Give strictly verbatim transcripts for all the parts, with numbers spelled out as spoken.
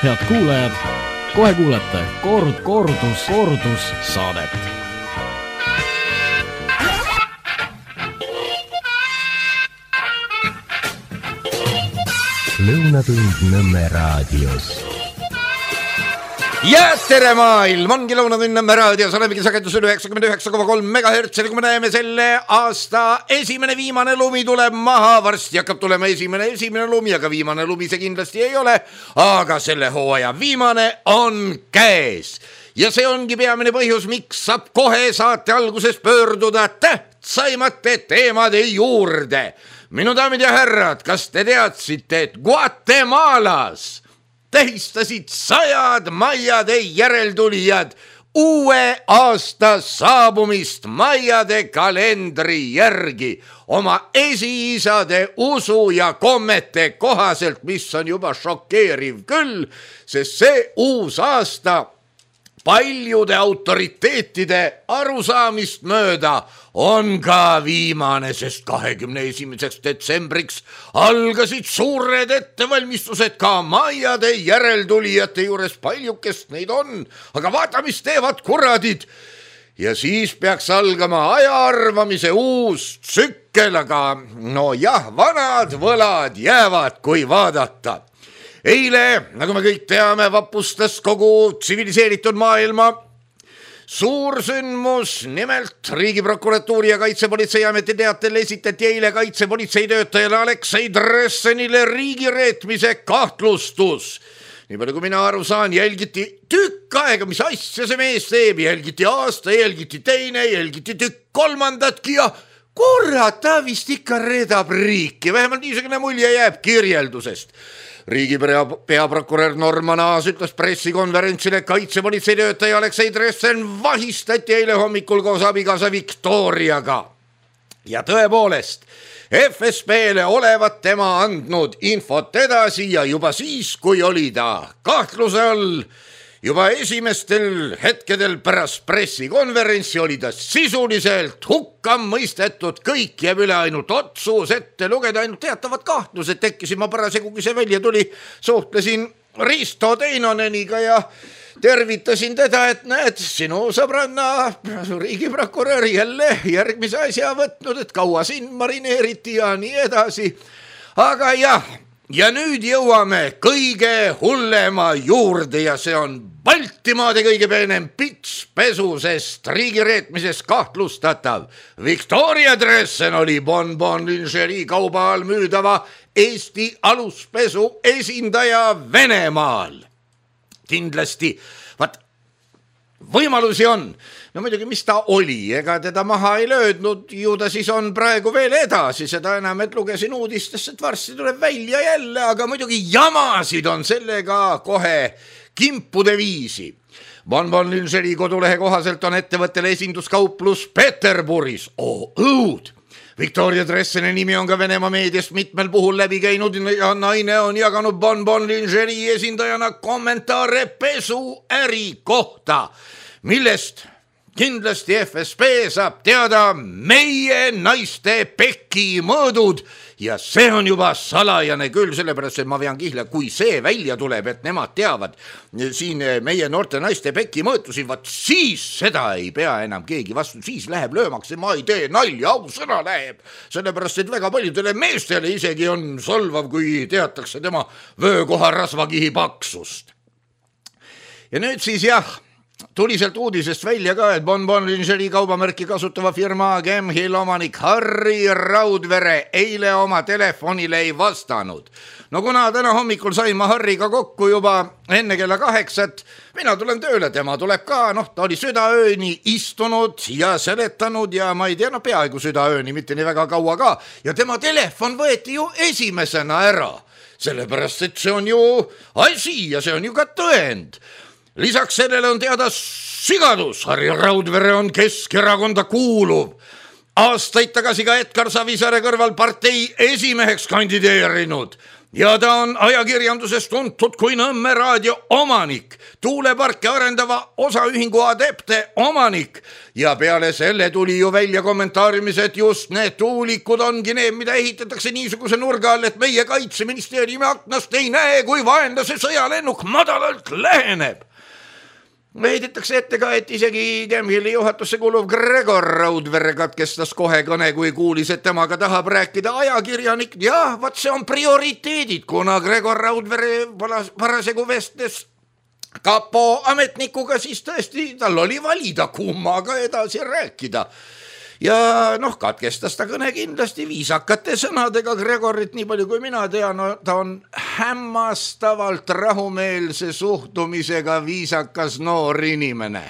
Head kuulajad, kohe kuulete kord, kordus, kordus saadet. Lõunatund Nõmme raadios. Ja tere maailm, ongi Lõunatund Nõmme raadios, olemegi sagedusel üheksakümmend üheksa koma kolm megahertsi, kui me näeme selle aasta esimene viimane lumi tuleb maha, varsti hakkab tulema esimene esimene lumi, aga viimane lumi see kindlasti ei ole, aga selle hooaja viimane on käes. Ja see ongi peamine põhjus, miks saab kohe saate alguses pöörduda tähtsaimate teemade juurde. Minu daamid ja härrad, kas te teadsite, et Guatemalas tähistasid sajad maiade järeltulijad uue aasta saabumist maiade kalendri järgi oma esiisade usu ja kommete kohaselt, mis on juba šokeeriv küll, sest see uus aasta paljude autoriteetide arusaamist mööda on ka viimane, sest kahekümne esimeseks detsembriks algasid suured ettevalmistused ka maiade järeltulijate juures, paljukest neid on, aga vaata, mis teevad kuradid. Ja siis peaks algama aja arvamise uus tsükkel, aga no jah, vanad võlad jäävad, kui vaadata. Eile, nagu me kõik teame, vapustas kogu tsiviliseeritud maailma suursündmus, nimelt Riigiprokuratuuri ja Kaitsepolitseiameti teatel esitati eile kaitsepolitsei töötajale Aleksei Dressenile riigireetmise kahtlustus. Nii palju kui mina aru saan, jälgiti tükk aega, mis asja see mees teeb, jälgiti aasta, jälgiti teine, jälgiti tükk kolmandatki ja kurat, ta vist ikka redab riiki, vähemalt niisugune mulje jääb kirjeldusest. Riigi peaprokurör Norman Aas ütles pressikonverentsile, kaitsepolitsei töötaja Aleksei Dressen vahistati eile hommikul koos abikaasa Viktoriaga. Ja tõepoolest, F S B-le olevat tema andnud infot edasi ja juba siis, kui oli ta kahtluse all, juba esimestel hetkedel pärast pressikonverentsi oli ta sisuliselt hukka mõistetud, kõik jääb üle ainult otsus ette lugeda, ainult teatavad kahtlused tekkisid. Ma parasjagu, kui see välja tuli, suhtlesin Risto Teinoneniga ja tervitasin teda, et näed, sinu sõbranna riigiprokurör jälle järgmise asja võtnud, et kaua sind marineeriti ja nii edasi. Aga jah, ja nüüd jõuame kõige hullema juurde ja see on Baltimaade kõige peenem pitspesu, sest riigireetmises kahtlustatav Victoria Dressen oli Bonbon Lingerie kauba all müüdava Eesti aluspesu esindaja Venemaal. Kindlasti, vaat, võimalusi on. No muidugi, mis ta oli, ega teda maha ei löödnud, ju ta siis on praegu veel edasi, seda enam, et lugesin uudistest, et varsti tuleb välja jälle, aga muidugi jamasid on sellega kohe kimpude viisi. Bonbon Lingerie kodulehe kohaselt on ettevõttele esinduskauplus Peterburis. Oo, õud! Victoria Dresseni nimi on ka Venemaa meediast mitmel puhul läbi käinud ja naine on jaganud Bonbon Lingerie esindajana kommentaare pesuäri kohta, millest kindlasti F S B saab teada meie naiste peki mõõdud ja see on juba salajane küll, sellepärast, et ma vean kihla, kui see välja tuleb, et nemad teavad siin meie noorte naiste peki mõõtusid, vaat siis seda ei pea enam keegi vastu, siis läheb löömaks ja ma ei tee nalja, au sõna läheb, sellepärast, et väga paljudele meestele isegi on solvav, kui teatakse tema vöökoha rasvakihi paksust. Ja nüüd siis jah, tuli sealt uudisest välja ka, et Bonbon Lingerie kaubamärki kasutava firma Gemhill omanik Harri Raudvere eile oma telefonile ei vastanud. No kuna täna hommikul sain ma Harriga kokku juba enne kella kaheksat, mina tulen tööle, tema tuleb ka, noh, ta oli südaööni istunud ja seletanud ja ma ei tea, no peaaegu südaööni, mitte nii väga kaua ka, ja tema telefon võeti ju esimesena ära, sellepärast, et see on ju asi ja see on ju ka tõend. Lisaks sellele on teada sigadus, Harri Raudvere on Keskerakonda kuuluv. Aastaid tagasi ka Edgar Savisaare kõrval partei esimeheks kandideerinud. ja ta on ajakirjanduses tuntud kui Nõmme raadio omanik, tuuleparke arendava osaühingu Adepte omanik ja peale selle tuli ju välja kommentaariumis, et just need tuulikud ongi need, mida ehitatakse niisuguse nurga all, et meie kaitseministeeriumi aknast ei näe, kui vaenlase sõjalennuk madalalt läheneb. Heidetakse ette ka, et isegi Chemhilli juhatusse kuuluv Gregor Raudvere katkestas kohe kõne, kui kuulis, et temaga tahab rääkida ajakirjanik. Ja vaat see on prioriteedid, kuna Gregor Raudvere parasjagu vestles kapo ametnikuga, siis tõesti tal oli valida, kummaga edasi rääkida. Ja noh, katkestas ta kõne kindlasti viisakate sõnadega Gregorit, nii palju kui mina tean, no, ta on hämmastavalt rahumeelse suhtumisega viisakas noor inimene.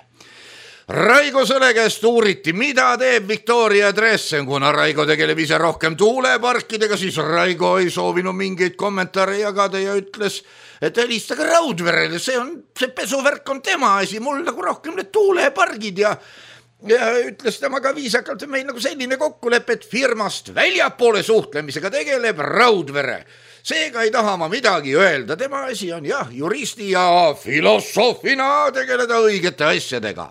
Raigo Sõle käest uuriti, mida teeb Victoria Dressen, kuna Raigo tegeleb ise rohkem tuuleparkidega, siis Raigo ei soovinud mingeid kommentaare jagada ja ütles, et helistage Raudverele, see on, see pesuvärk on tema asi, mul nagu rohkem need tuulepargid ja ja ütles temaga viisakalt, et meil nagu selline kokkulepe, et firmast väljapoole suhtlemisega tegeleb Raudvere. Seega ei taha ma midagi öelda, tema asi on jah, juristi ja filosoofina tegeleda õigete asjadega.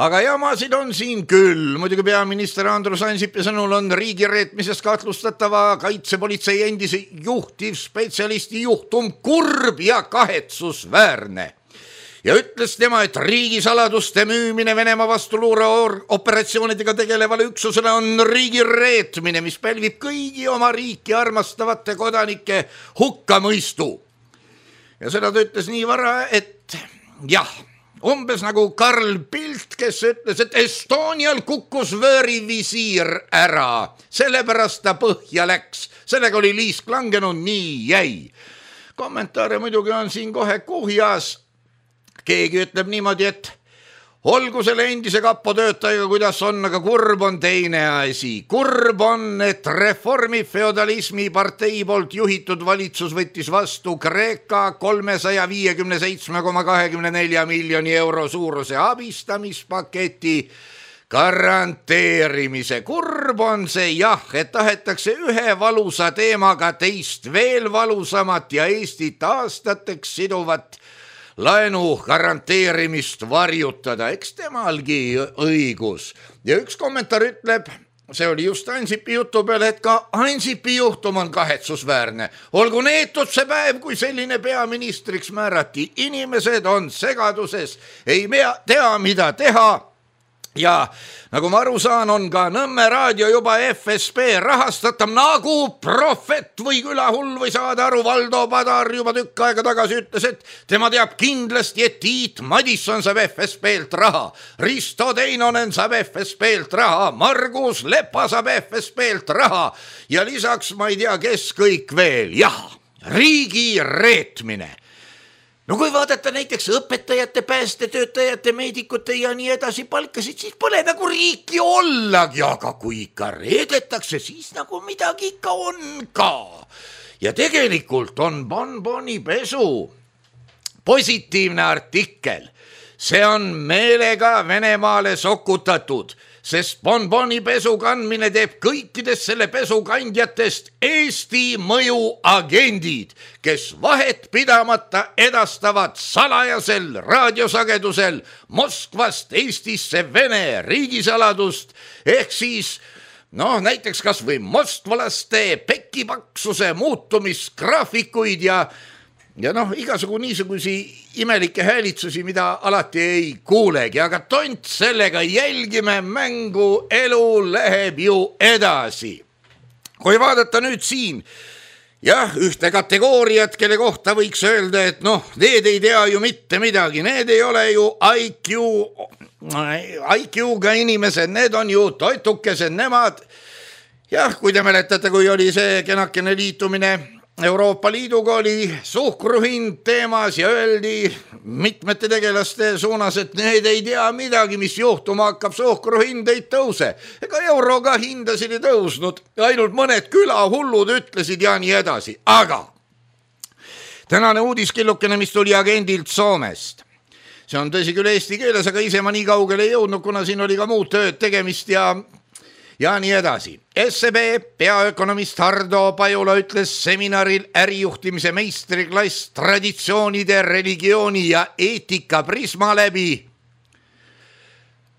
Aga jamasid on siin küll, muidugi peaminister Andrus Ansipi sõnul on riigireetmises kahtlustatava kaitsepolitsei endise juhtivspetsialisti juhtum kurb ja kahetsusväärne. Ja ütles tema, et riigisaladuste müümine Venemaa vastuluure operatsioonidega tegelevale üksusele on riigireetmine, mis pälvib kõigi oma riiki armastavate kodanike hukkamõistu. Ja seda ta ütles nii vara, et jah, umbes nagu Karl Pilt, kes ütles, et Estonial kukkus vöörivisiir ära, sellepärast ta põhja läks, sellega oli liisk langenud, nii jäi. Kommentaare muidugi on siin kohe kuhjas. Keegi ütleb niimoodi, et olgu selle endise kapo töötajaga, kuidas on, aga kurb on teine asi. Kurb on, et reformi feodalismi partei poolt juhitud valitsus võttis vastu Kreeka kolmesaja viiekümne seitsme koma kakskümmend neli miljoni euro suuruse abistamispaketi garanteerimise. Kurb on see jah, et tahetakse ühe valusa teemaga teist veel valusamat ja Eestit aastateks siduvat laenu garanteerimist varjutada, eks temalgi õigus. Ja üks kommentaar ütleb, see oli just Ansipi jutu peale, et ka Ansipi juhtum on kahetsusväärne. Olgu neetud see päev, kui selline peaministriks määrati. Inimesed on segaduses, ei tea, mida teha. Ja nagu ma aru saan, on ka Nõmme raadio juba F S B rahastatam nagu Prohvet või külahull või saada aru. Valdo Padar juba tükk aega tagasi ütles, et tema teab kindlasti, et Tiit Madisson saab F S B-lt raha. Risto Teinonen saab F S B-lt raha. Margus Lepa saab F S B-lt raha. Ja lisaks ma ei tea, kes kõik veel. Jah, riigi reetmine. No kui vaadata näiteks õpetajate, päästetöötajate, meedikute ja nii edasi palkasid, siis pole nagu riiki ollagi, aga kui ikka reedetakse, siis nagu midagi ikka on ka. Ja tegelikult on bonboni pesu positiivne artikkel. See on meelega Venemaale sokutatud, sest bonboni pesu kandmine teeb kõikidest selle pesu kandjatest Eesti mõjuagendid, kes vahet pidamata edastavad salajasel raadiosagedusel Moskvast Eestisse Vene riigisaladust, ehk siis noh, näiteks kas või mostvalaste pekipaksuse muutumisgraafikuid ja Ja noh, igasugu niisugusi imelikke häälitsusi, mida alati ei kuulegi, aga tont sellega jälgime, mängu elu läheb ju edasi. Kui vaadata nüüd siin, jah, ühte kategooriat, kelle kohta võiks öelda, et noh, need ei tea ju mitte midagi, need ei ole ju I Q, I Q-ga inimesed, need on ju toitukesed, nemad. Jah, kui te mäletate, kui oli see kenakene liitumine Euroopa Liiduga, oli suhkruhind teemas ja öeldi mitmete tegelaste suunas, et need ei tea midagi, mis juhtuma hakkab, suhkruhind ei tõuse. Ega euroga hindasid ei tõusnud, ainult mõned külahullud ütlesid ja nii edasi. Aga tänane uudiskillukene, mis tuli agendilt Soomest. See on tõsi küll eesti keeles, aga ise ma nii kaugele ei jõudnud, kuna siin oli ka muud tööd tegemist ja ja nii edasi. S E B peaökonomist Hardo Pajula ütles seminaril ärijuhtimise meistriklass traditsioonide, religiooni ja eetika prisma läbi,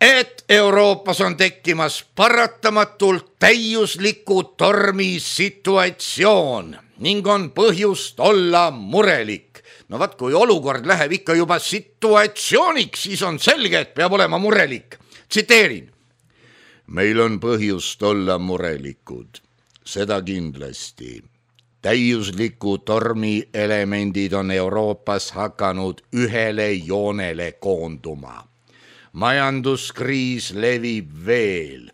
et Euroopas on tekkimas paratamatult täiusliku tormi situatsioon ning on põhjust olla murelik. No vaat, kui olukord läheb ikka juba situatsiooniks, siis on selge, et peab olema murelik. Tsiteerin. Meil on põhjust olla murelikud, seda kindlasti. Täiusliku tormi elemendid on Euroopas hakanud ühele joonele koonduma. Majanduskriis levib veel,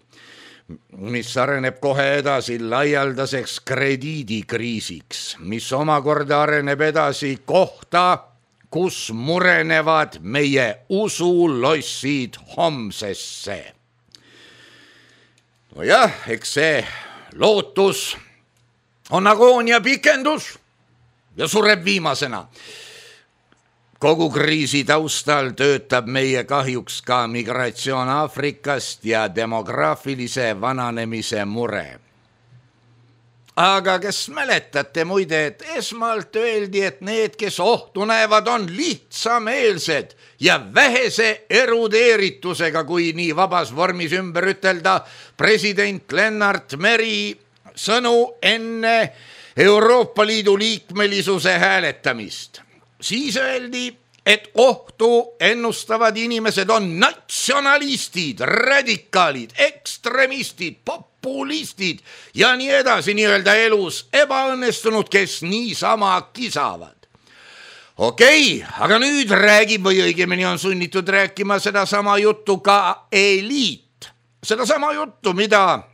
mis areneb kohe edasi laialdaseks krediidikriisiks, mis omakorda areneb edasi kohta, kus murenevad meie usulossid homsesse. No jah, eks see lootus on agoonia pikendus ja sureb viimasena. Kogu kriisi taustal töötab meie kahjuks ka migratsioon Aafrikast ja demograafilise vananemise mure. Aga kes mäletate muide, et esmalt öeldi, et need, kes ohtu näevad, on lihtsameelsed ja vähese erudeeritusega, kui nii vabas vormis ümber ütelda president Lennart Meri sõnu enne Euroopa Liidu liikmelisuse hääletamist. Siis öeldi, et ohtu ennustavad inimesed on natsionalistid, radikaalid, ekstremistid, populistid ja nii edasi nii-öelda elus ebaõnnestunud, kes niisama kisavad. Okei, aga nüüd räägib või õigemini on sunnitud rääkima sedasama juttu ka eliit. Sedasama juttu, mida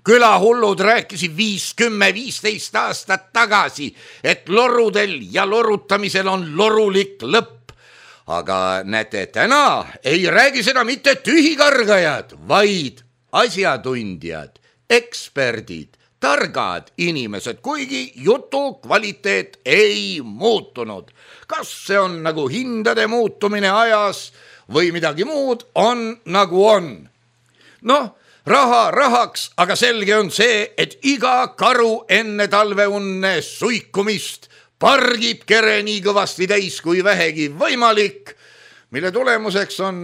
külahullud rääkisid viis, kümme, viisteist aastat tagasi, et lorudel ja lorutamisel on lorulik lõpp. Aga näete, täna ei räägi seda mitte tühikargajad, vaid asjatundjad, eksperdid, targad inimesed, kuigi jutu kvaliteet ei muutunud. Kas see on nagu hindade muutumine ajas või midagi muud, on nagu on. Noh, raha rahaks, aga selge on see, et iga karu enne talveunne suikumist pargib kere nii kõvasti täis kui vähegi võimalik, mille tulemuseks on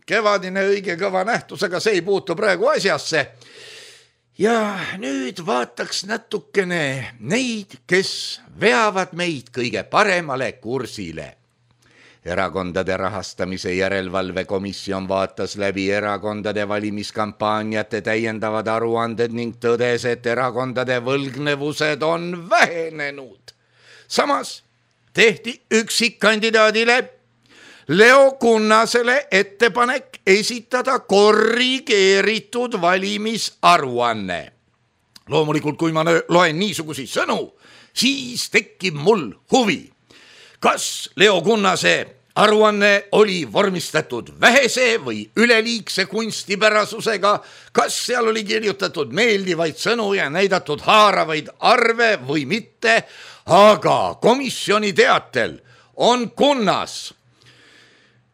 kevadine õige kõva nähtus, aga see ei puutu praegu asjasse. Ja nüüd vaataks natukene neid, kes veavad meid kõige paremale kursile. Erakondade rahastamise järelevalvekomisjon vaatas läbi erakondade valimiskampaaniate täiendavad aruanded ning tõdes, et erakondade võlgnevused on vähenenud. Samas tehti üksikkandidaadile Leo Kunnasele ettepanek esitada korrigeeritud valimisaruanne. Loomulikult, kui ma loen niisuguseid sõnu, siis tekib mul huvi. Kas Leo Kunnase aruanne oli vormistatud vähese või üleliigse kunstipärasusega, kas seal oli kirjutatud meeldivaid sõnu ja näidatud haaravaid arve või mitte, aga komisjoni teatel on Kunnas.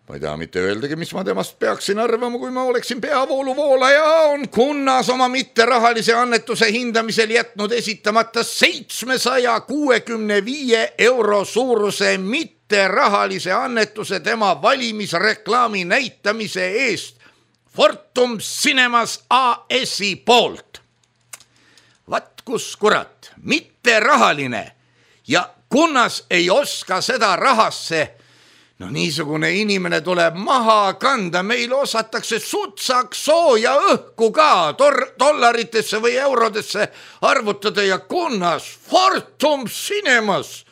Ma ei taha mitte öeldagi, mis ma temast peaksin arvama, kui ma oleksin peavooluvoolaja, on Kunnas oma mitterahalise annetuse hindamisel jätnud esitamata seitsmesaja kuuekümne viie euro suuruse mitterahalise annetuse tema valimisreklaami näitamise eest Fortum Cinemas A S-i poolt. Vat kus kurat, mitterahaline ja Kunnas ei oska seda rahasse. No niisugune inimene tuleb maha kanda, meil osatakse sutsaks sooja õhku ka tor- dollaritesse või eurodesse arvutada ja Kunnas Fortum Cinemas.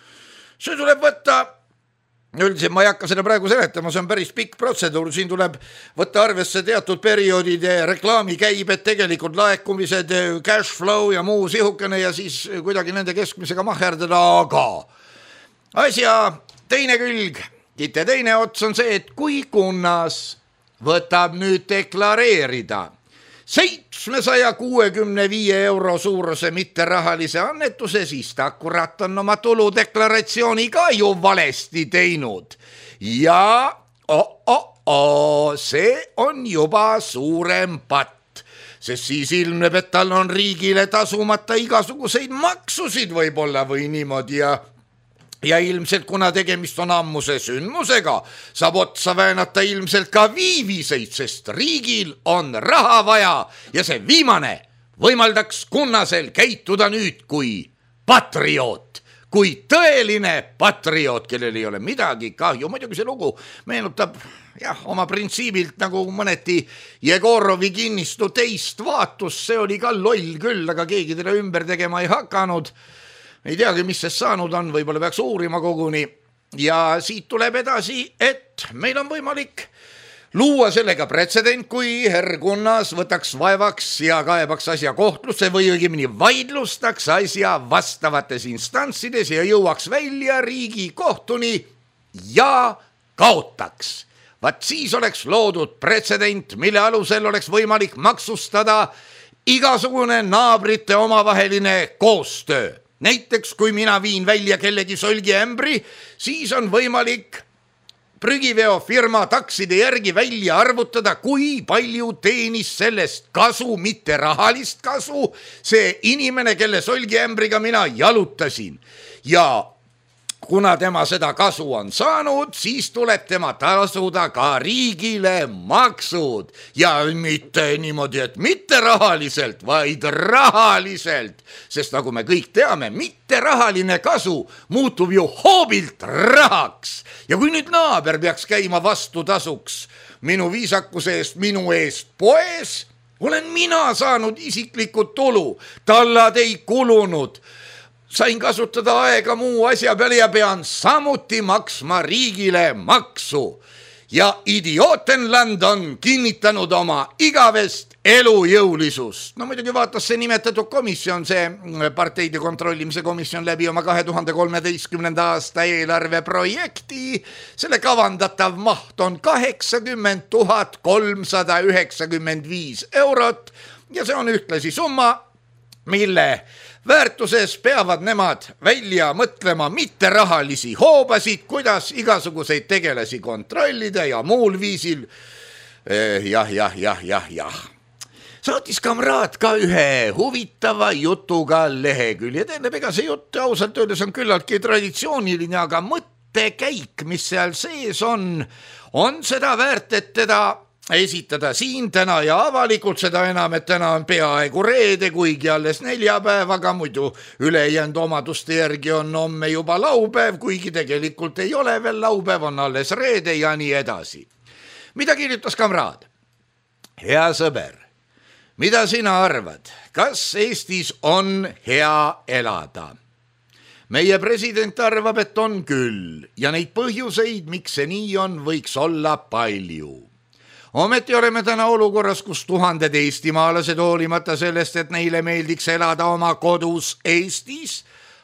See tuleb võtta, üldiselt ma ei hakka seda praegu seletama, see on päris pikk protseduur, siin tuleb võtta arvesse teatud perioodide reklaamikäibed, tegelikult laekumised, cash flow ja muu sihukene ja siis kuidagi nende keskmisega maherdada, aga asja teine külg, Kitte teine ots on see, et kui Kunnas võtab nüüd deklareerida seitsmesaja kuuekümne viie euro suuruse mitterahalise annetuse, siis ta kurat on oma tuludeklaratsiooni ka ju valesti teinud. Ja oh, oh, oh, see on juba suurem patt. sest siis ilmneb, et tal on riigile tasumata igasuguseid maksusid võib-olla või niimoodi ja ja ilmselt, kuna tegemist on ammuse sündmusega, saab otsa väänata ilmselt ka viiviseid, sest riigil on raha vaja ja see viimane võimaldaks Kunnasel käituda nüüd kui patrioot, kui tõeline patrioot, kellel ei ole midagi kahju. Muidugi see lugu meenutab jah, oma printsiibilt nagu mõneti Jegorovi kinnistu teist vaatust, see oli ka loll küll, aga keegi teda ümber tegema ei hakanud. Ei teagi, mis see saanud on, võib-olla peaks uurima koguni. Ja siit tuleb edasi, et meil on võimalik luua sellega pretsedent, kui herr Kunnas võtaks vaevaks ja kaebaks asja kohtlusse või õigemini vaidlustaks asja vastavates instantsides ja jõuaks välja Riigikohtuni ja kaotaks. Vaat siis oleks loodud pretsedent, mille alusel oleks võimalik maksustada igasugune naabrite omavaheline koostöö. Näiteks, kui mina viin välja kellegi solgiämbri, siis on võimalik prügiveofirma takside järgi välja arvutada, kui palju teenis sellest kasu, mitte rahalist kasu, see inimene, kelle solgiämbriga mina jalutasin. Ja kuna tema seda kasu on saanud, siis tuleb tema tasuda ka riigile maksud. Ja mitte niimoodi, et mitte rahaliselt, vaid rahaliselt. Sest nagu me kõik teame, mitte rahaline kasu muutub ju hoobilt rahaks. Ja kui nüüd naaber peaks käima vastu tasuks minu viisakuse eest, minu eest poes, olen mina saanud isiklikud tulu, tallad ei kulunud. Sain kasutada aega muu asja peale ja pean samuti maksma riigile maksu. Ja Idiotenland on kinnitanud oma igavest elujõulisust. No muidugi vaatas see nimetatud komisjon, see parteide kontrollimise komisjon läbi oma kahe tuhande kolmeteistkümnenda aasta eelarveprojekti. Selle kavandatav maht on kaheksakümmend tuhat kolmsada üheksakümmend viis eurot ja see on ühtlasi summa, mille väärtuses peavad nemad välja mõtlema mitte rahalisi hoobasid, kuidas igasuguseid tegelasi kontrollida ja muul viisil. Eh, jah, jah, jah, jah, jah. Saatis kamraad ka ühe huvitava jutuga lehekülje. Tähendab, ega see jutt ausalt öeldes on küllaltki traditsiooniline, aga mõttekäik, mis seal sees on, on seda väärt, et teda esitada siin täna ja avalikult, seda enam, et täna on peaaegu reede, kuigi alles neljapäevaga, muidu ülejäänud omaduste järgi on homme juba laupäev, kuigi tegelikult ei ole veel laupäev, on alles reede ja nii edasi. Mida kirjutas kamraad? Hea sõber, mida sina arvad? Kas Eestis on hea elada? Meie president arvab, et on küll ja neid põhjuseid, miks see nii on, võiks olla palju. Ometi oleme täna olukorras, kus tuhanded eestimaalased hoolimata sellest, et neile meeldiks elada oma kodus Eestis,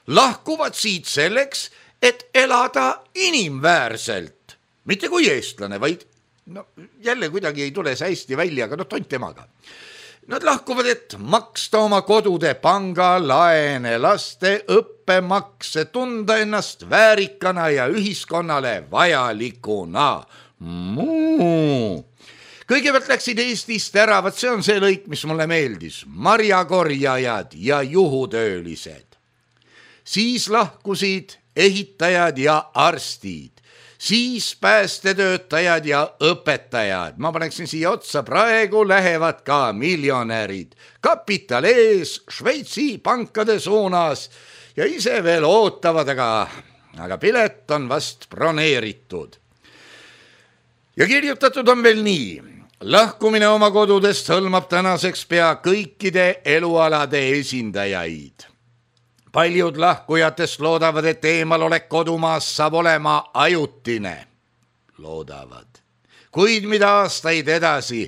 lahkuvad siit selleks, et elada inimväärselt. Mitte kui eestlane, vaid no, jälle kuidagi ei tule see hästi välja, aga no tont temaga. Nad lahkuvad, et maksta oma kodude pangalaene, laste õppemakse, tunda ennast väärikana ja ühiskonnale vajalikuna. Muu. Kõigepealt läksid Eestist ära, vaat see on see lõik, mis mulle meeldis, marjakorjajad ja juhutöölised. Siis lahkusid ehitajad ja arstid, siis päästetöötajad ja õpetajad. Ma paneksin siia otsa, praegu lähevad ka miljonärid, kapital ees, Šveitsi pankade suunas ja ise veel ootavad, aga, aga pilet on vast broneeritud. Ja kirjutatud on veel nii. Lahkumine oma kodudest hõlmab tänaseks pea kõikide elualade esindajaid. Paljud lahkujatest loodavad, et eemalolek kodumaas saab olema ajutine. Loodavad. Kuid mida aastaid edasi,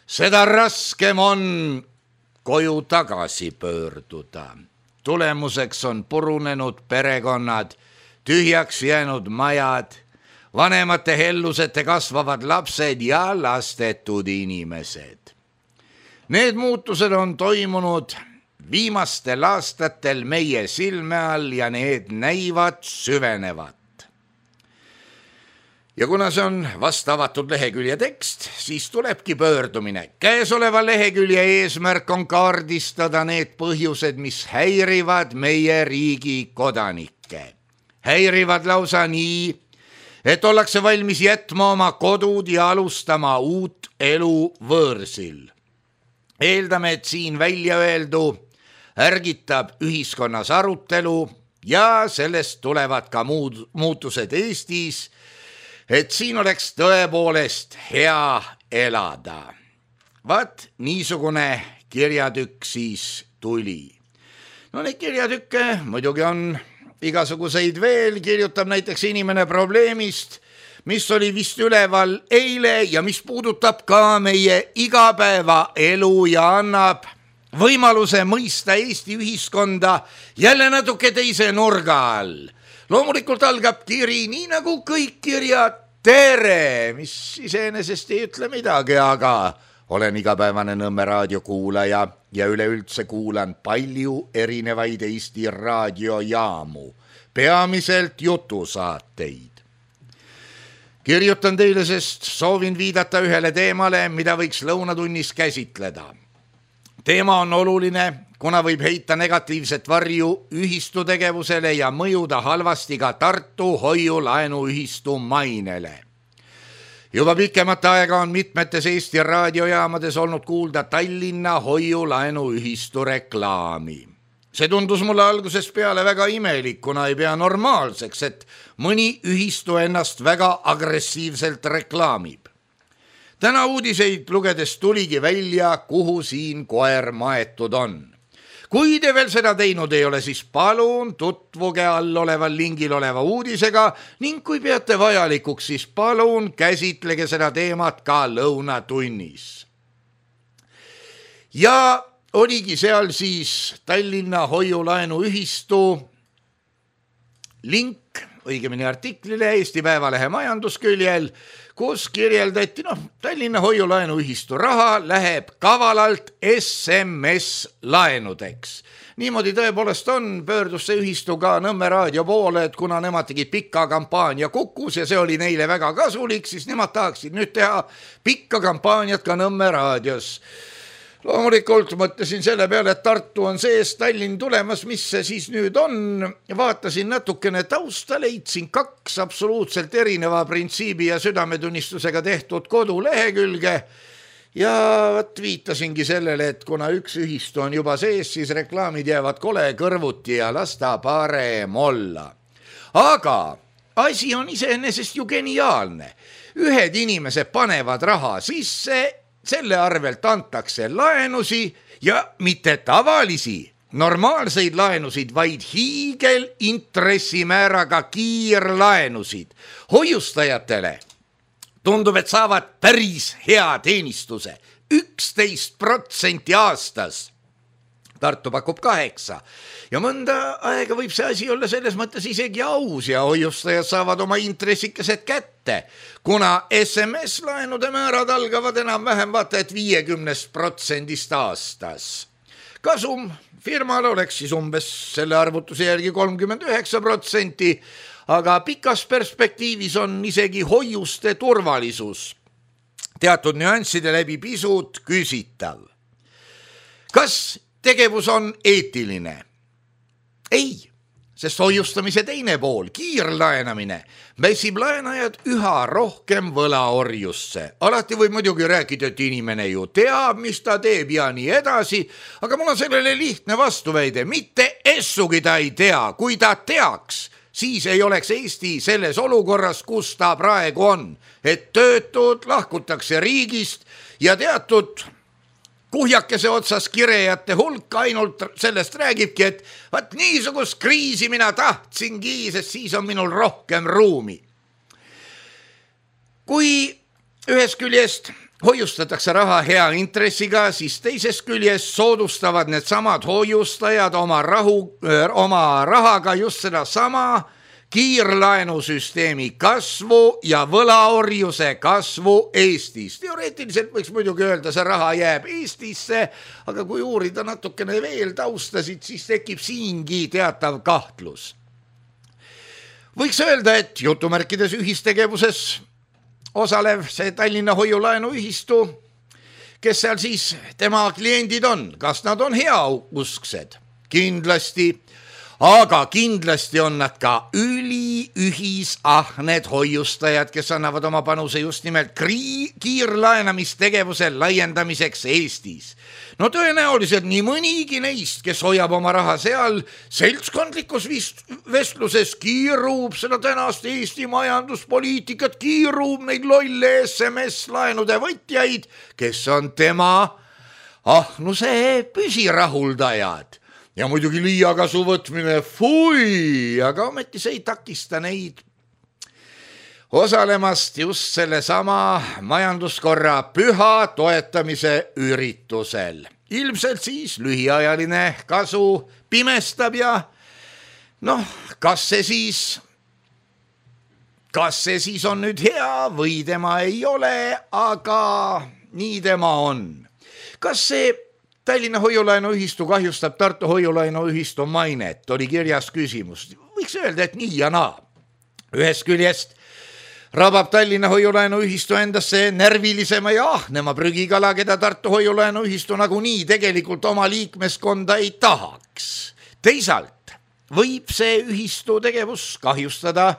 seda raskem on koju tagasi pöörduda. Tulemuseks on purunenud perekonnad, tühjaks jäänud majad, vanemate hellusete kasvavad lapsed ja lastetud inimesed. Need muutused on toimunud viimastel aastatel meie silme all ja need näivad süvenevat. ja kuna see on vast avatud lehekülje tekst, siis tulebki pöördumine. Käesoleva lehekülje eesmärk on kaardistada need põhjused, mis häirivad meie riigi kodanikke. Häirivad lausa nii, et ollakse valmis jätma oma kodud ja alustama uut elu võõrsil. Eeldame, et siin välja öeldu ärgitab ühiskonnas arutelu ja sellest tulevad ka muud muutused Eestis, et siin oleks tõepoolest hea elada. Vaat niisugune kirjatükk siis tuli. No neid kirjatükke muidugi on igasuguseid veel, kirjutab näiteks inimene probleemist, mis oli vist üleval eile ja mis puudutab ka meie igapäevaelu ja annab võimaluse mõista Eesti ühiskonda jälle natuke teise nurga all. Loomulikult algab kiri nii nagu kõik kirjad tere, mis iseenesest ei ütle midagi, aga olen igapäevane Nõmme raadio kuulaja ja üleüldse kuulan palju erinevaid Eesti raadiojaamu, peamiselt jutusaateid. Kirjutan teile, sest soovin viidata ühele teemale, mida võiks lõunatunnis käsitleda. Teema on oluline, kuna võib heita negatiivset varju ühistu tegevusele ja mõjuda halvasti ka Tartu hoiulaenuühistu mainele. Juba pikemat aega on mitmetes Eesti raadiojaamades olnud kuulda Tallinna hoiulaenuühistu reklaami. See tundus mulle algusest peale väga imelik, kuna ei pea normaalseks, et mõni ühistu ennast väga agressiivselt reklaamib. Täna uudiseid lugedes tuligi välja, kuhu siin koer maetud on. Kui te veel seda teinud ei ole, siis palun tutvuge all oleval lingil oleva uudisega ning kui peate vajalikuks, siis palun käsitlege seda teemat ka lõunatunnis. Ja oligi seal siis Tallinna hoiulaenuühistu link, õigemini artiklile Eesti Päevalehe majandusküljel, kus kirjeldati, noh, Tallinna hoiulaenuühistu raha läheb kavalalt S M S-laenudeks. Niimoodi tõepoolest on, pöördus see ühistu ka Nõmme raadio poole, et kuna nemad tegid pikka kampaania Kukus ja see oli neile väga kasulik, siis nemad tahaksid nüüd teha pikka kampaaniat ka Nõmme raadios. Loomulikult mõtlesin selle peale, et Tartu on sees, Tallinn tulemas, mis see siis nüüd on. Vaatasin natukene tausta, leidsin kaks absoluutselt erineva printsiibi ja südametunnistusega tehtud kodulehekülge ja võt viitasingi sellele, et kuna üks ühistu on juba sees, siis reklaamid jäävad kole kõrvuti ja lasta parem olla. Aga asi on iseenesest ju geniaalne. Ühed inimesed panevad raha sisse, selle arvelt antakse laenusi ja mitte tavalisi, normaalseid laenusid, vaid hiigel intressimääraga kiirlaenusid. Hoiustajatele tundub, et saavad päris hea teenistuse, üksteist protsenti aastas. Tartu pakub kaheksa ja mõnda aega võib see asi olla selles mõttes isegi aus ja hoiustajad saavad oma intressikesed kätte, kuna S M S-laenude määrad algavad enam-vähem vaata et viiekümnest protsendist aastas. Kasum firmal oleks siis umbes selle arvutuse järgi kolmkümmend üheksa protsenti, aga pikas perspektiivis on isegi hoiuste turvalisus teatud nüansside läbi pisut küsitav. Kas tegevus on eetiline? Ei, sest hoiustamise teine pool, kiirlaenamine, mässib laenajad üha rohkem võlaorjusse. Alati võib muidugi rääkida, et inimene ju teab, mis ta teeb ja nii edasi, aga mul on sellele lihtne vastuväide, mitte essugi ta ei tea. Kui ta teaks, siis ei oleks Eesti selles olukorras, kus ta praegu on, et töötud lahkutakse riigist ja teatud kuhjakese otsas kirejate hulk ainult sellest räägibki, et vaat niisugust kriisi mina tahtsingi, sest siis on minul rohkem ruumi. Kui ühest küljest hoiustatakse raha hea intressiga, siis teisest küljest soodustavad need samad hoiustajad oma, rahu, oma rahaga just seda sama kiirlaenusüsteemi kasvu ja võlaorjuse kasvu Eestis. Teoreetiliselt võiks muidugi öelda, see raha jääb Eestisse, aga kui uurida natukene veel taustasid, siis tekib siingi teatav kahtlus. võiks öelda, et jutumärkides ühistegevuses osalev see Tallinna Hoiu-laenuühistu, kes seal siis tema kliendid on, kas nad on heausksed? Kindlasti, aga kindlasti on nad ka üliühisahned hoiustajad, kes annavad oma panuse just nimelt kiirlaenamistegevuse laiendamiseks Eestis. No tõenäoliselt nii mõnigi neist, kes hoiab oma raha seal seltskondlikus vestluses, kiirub seda tänast Eesti majanduspoliitikat, kiirub neid lolle S M S-laenude võtjaid, kes on tema ahnuse püsirahuldajad. Ja muidugi liiakasu võtmine, fui, aga ometi see ei takista neid osalemast just selle sama majanduskorra püha toetamise üritusel. Ilmselt siis lühiajaline kasu pimestab ja noh, kas see siis, kas see siis on nüüd hea või tema ei ole, aga nii tema on. Kas see Tallinna Hoiu-laenuühistu kahjustab Tartu Hoiu-laenuühistu mainet, oli kirjas küsimus. Võiks öelda, et nii ja naa. Ühest küljest rabab Tallinna Hoiu-laenuühistu endasse närvilisema ja ahnema prügikala, keda Tartu Hoiu-laenuühistu nagu nii tegelikult oma liikmeskonda ei tahaks. Teisalt võib see ühistu tegevus kahjustada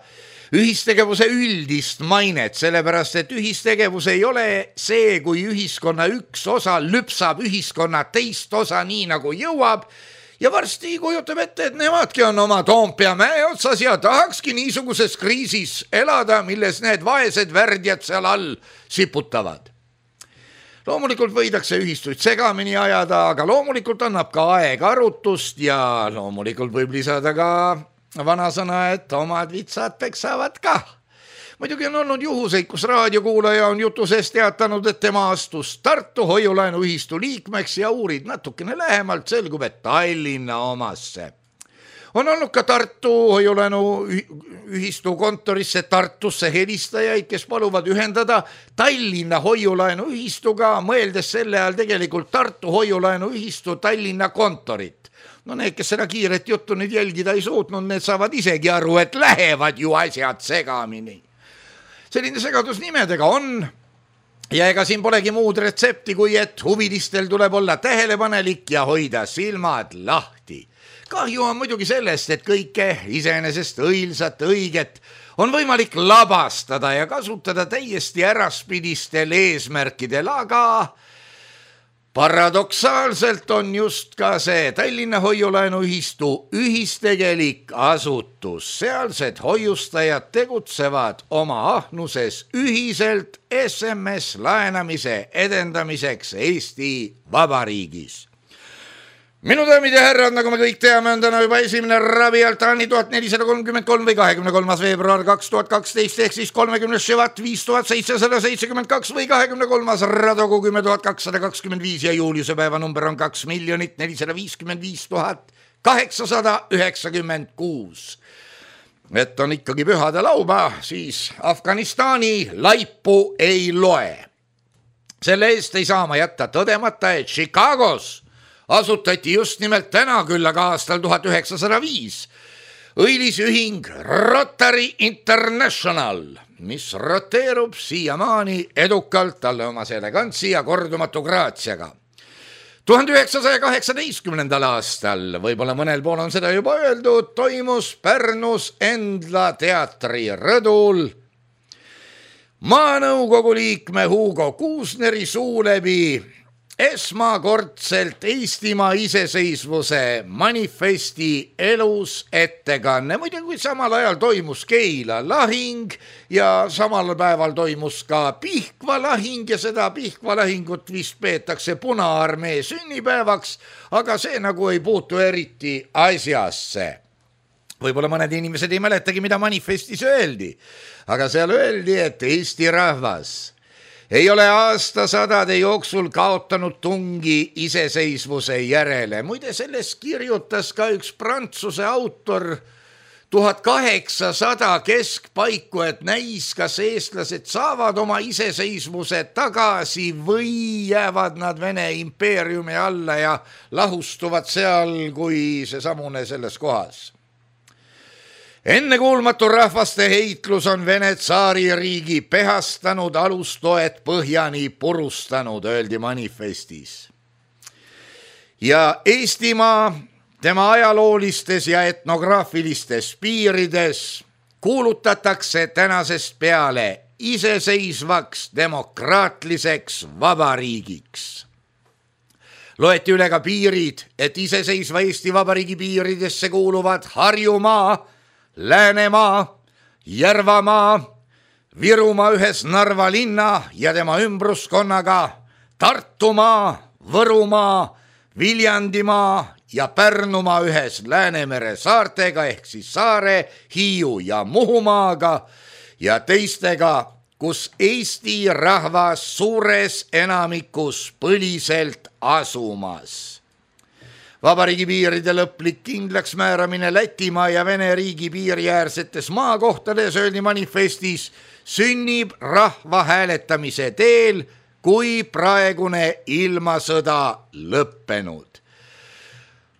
ühistegevuse üldist mainet, sellepärast et ühistegevus ei ole see, kui ühiskonna üks osa lüpsab ühiskonna teist osa nii nagu jõuab ja varsti kujutab ette, et nemadki on oma Toompea mäe otsas ja tahakski niisuguses kriisis elada, milles need vaesed värdjad seal all siputavad. Loomulikult võidakse ühistuid segamini ajada, aga loomulikult annab ka aeg arutust ja loomulikult võib lisada ka vanasõna, et omad vitsad peksavad ka. Muidugi on olnud juhuseid, kus raadiokuulaja on jutu sees teatanud, et tema astus Tartu Hoiu-laenuühistu liikmeks ja uurid natukene lähemalt, selgub, et Tallinna omasse. On olnud ka Tartu Hoiu-laenuühistu kontorisse Tartusse helistajaid, kes paluvad ühendada Tallinna Hoiu-laenuühistuga, mõeldes selle all tegelikult Tartu Hoiu-laenuühistu Tallinna kontorit. No need, kes seda kiiret juttu nüüd jälgida ei suutnud, need saavad isegi aru, et lähevad ju asjad segamini. Selline segadus nimedega on ja ega siin polegi muud retsepti, kui et huvilistel tuleb olla tähelepanelik ja hoida silmad lahti. Kahju on muidugi sellest, et kõike iseenesest õilsat õiget on võimalik labastada ja kasutada täiesti äraspidistel eesmärkidel, aga paradoksaalselt on just ka see Tallinna Hoiu-laenuühistu ühistegelik asutus. Sealsed hoiustajad tegutsevad oma ahnuses ühiselt S M S laenamise edendamiseks Eesti Vabariigis. Minu daamid ja härrad, nagu me kõik teame, on täna juba esimene rabialtaani tuhat nelisada kolmkümmend kolm või kahekümne kolmas veebruar kaks tuhat kaksteist ehk siis kolmekümnes Ševat viis tuhat seitsesada seitsekümmend kaks või kahekümne kolmas Radogu kümme tuhat kakssada kakskümmend viis ja juuliuse päeva number on kaks miljonit nelisada viiskümmend viis tuhat kaheksasada üheksakümmend kuus. Et on ikkagi pühade lauba, siis Afganistani laipu ei loe. Selle eest ei saa ma jätta tõdemata, et Chicagos asutati just nimelt täna küll, aga aastal tuhat üheksasada viis õilisühing Rotary International, mis roteerub siiamaani edukalt talle omase elegantsi ja kordumatu graatsiaga. tuhande üheksasaja kaheksateistkümnendal aastal, võib-olla mõnel pool on seda juba öeldud, toimus Pärnus Endla teatri rõdul maanõukogu liikme Hugo Kuusneri suu läbi esmakordselt Eestimaa iseseisvuse manifesti elus ettekanne. Muidugi samal ajal toimus Keila lahing ja samal päeval toimus ka Pihkva lahing ja seda Pihkva lahingut vist peetakse Punaarmee sünnipäevaks, aga see nagu ei puutu eriti asjasse. Võib-olla mõned inimesed ei mäletagi, mida manifestis öeldi, aga seal öeldi, et Eesti rahvas ei ole aastasadade jooksul kaotanud tungi iseseisvuse järele. Muide, sellest kirjutas ka üks prantsuse autor tuhat kaheksasada keskpaiku, et näis, kas eestlased saavad oma iseseisvuse tagasi või jäävad nad Vene impeeriumi alla ja lahustuvad seal kui see samune selles kohas. Ennekuulmatu rahvaste heitlus on Vene tsaaririigi pehastanud, alustoet põhjani purustanud, öeldi manifestis. Ja Eestimaa tema ajaloolistes ja etnograafilistes piirides kuulutatakse tänasest peale iseseisvaks demokraatliseks vabariigiks. Loeti üle ka piirid, et iseseisva Eesti Vabariigi piiridesse kuuluvad Harjumaa, Läänemaa, Järvamaa, Virumaa ühes Narva linna ja tema ümbruskonnaga, Tartumaa, Võrumaa, Viljandimaa ja Pärnumaa ühes Läänemere saartega ehk siis Saare, Hiiu ja Muhumaaga ja teistega, kus Eesti rahvas suures enamikus põliselt asumas. Vabariigi piiride lõplik kindlaks määramine Lätimaa ja Vene riigi piiriäärsetes maakohtades, öeldi manifestis, sünnib rahva hääletamise teel, kui praegune ilmasõda lõppenud.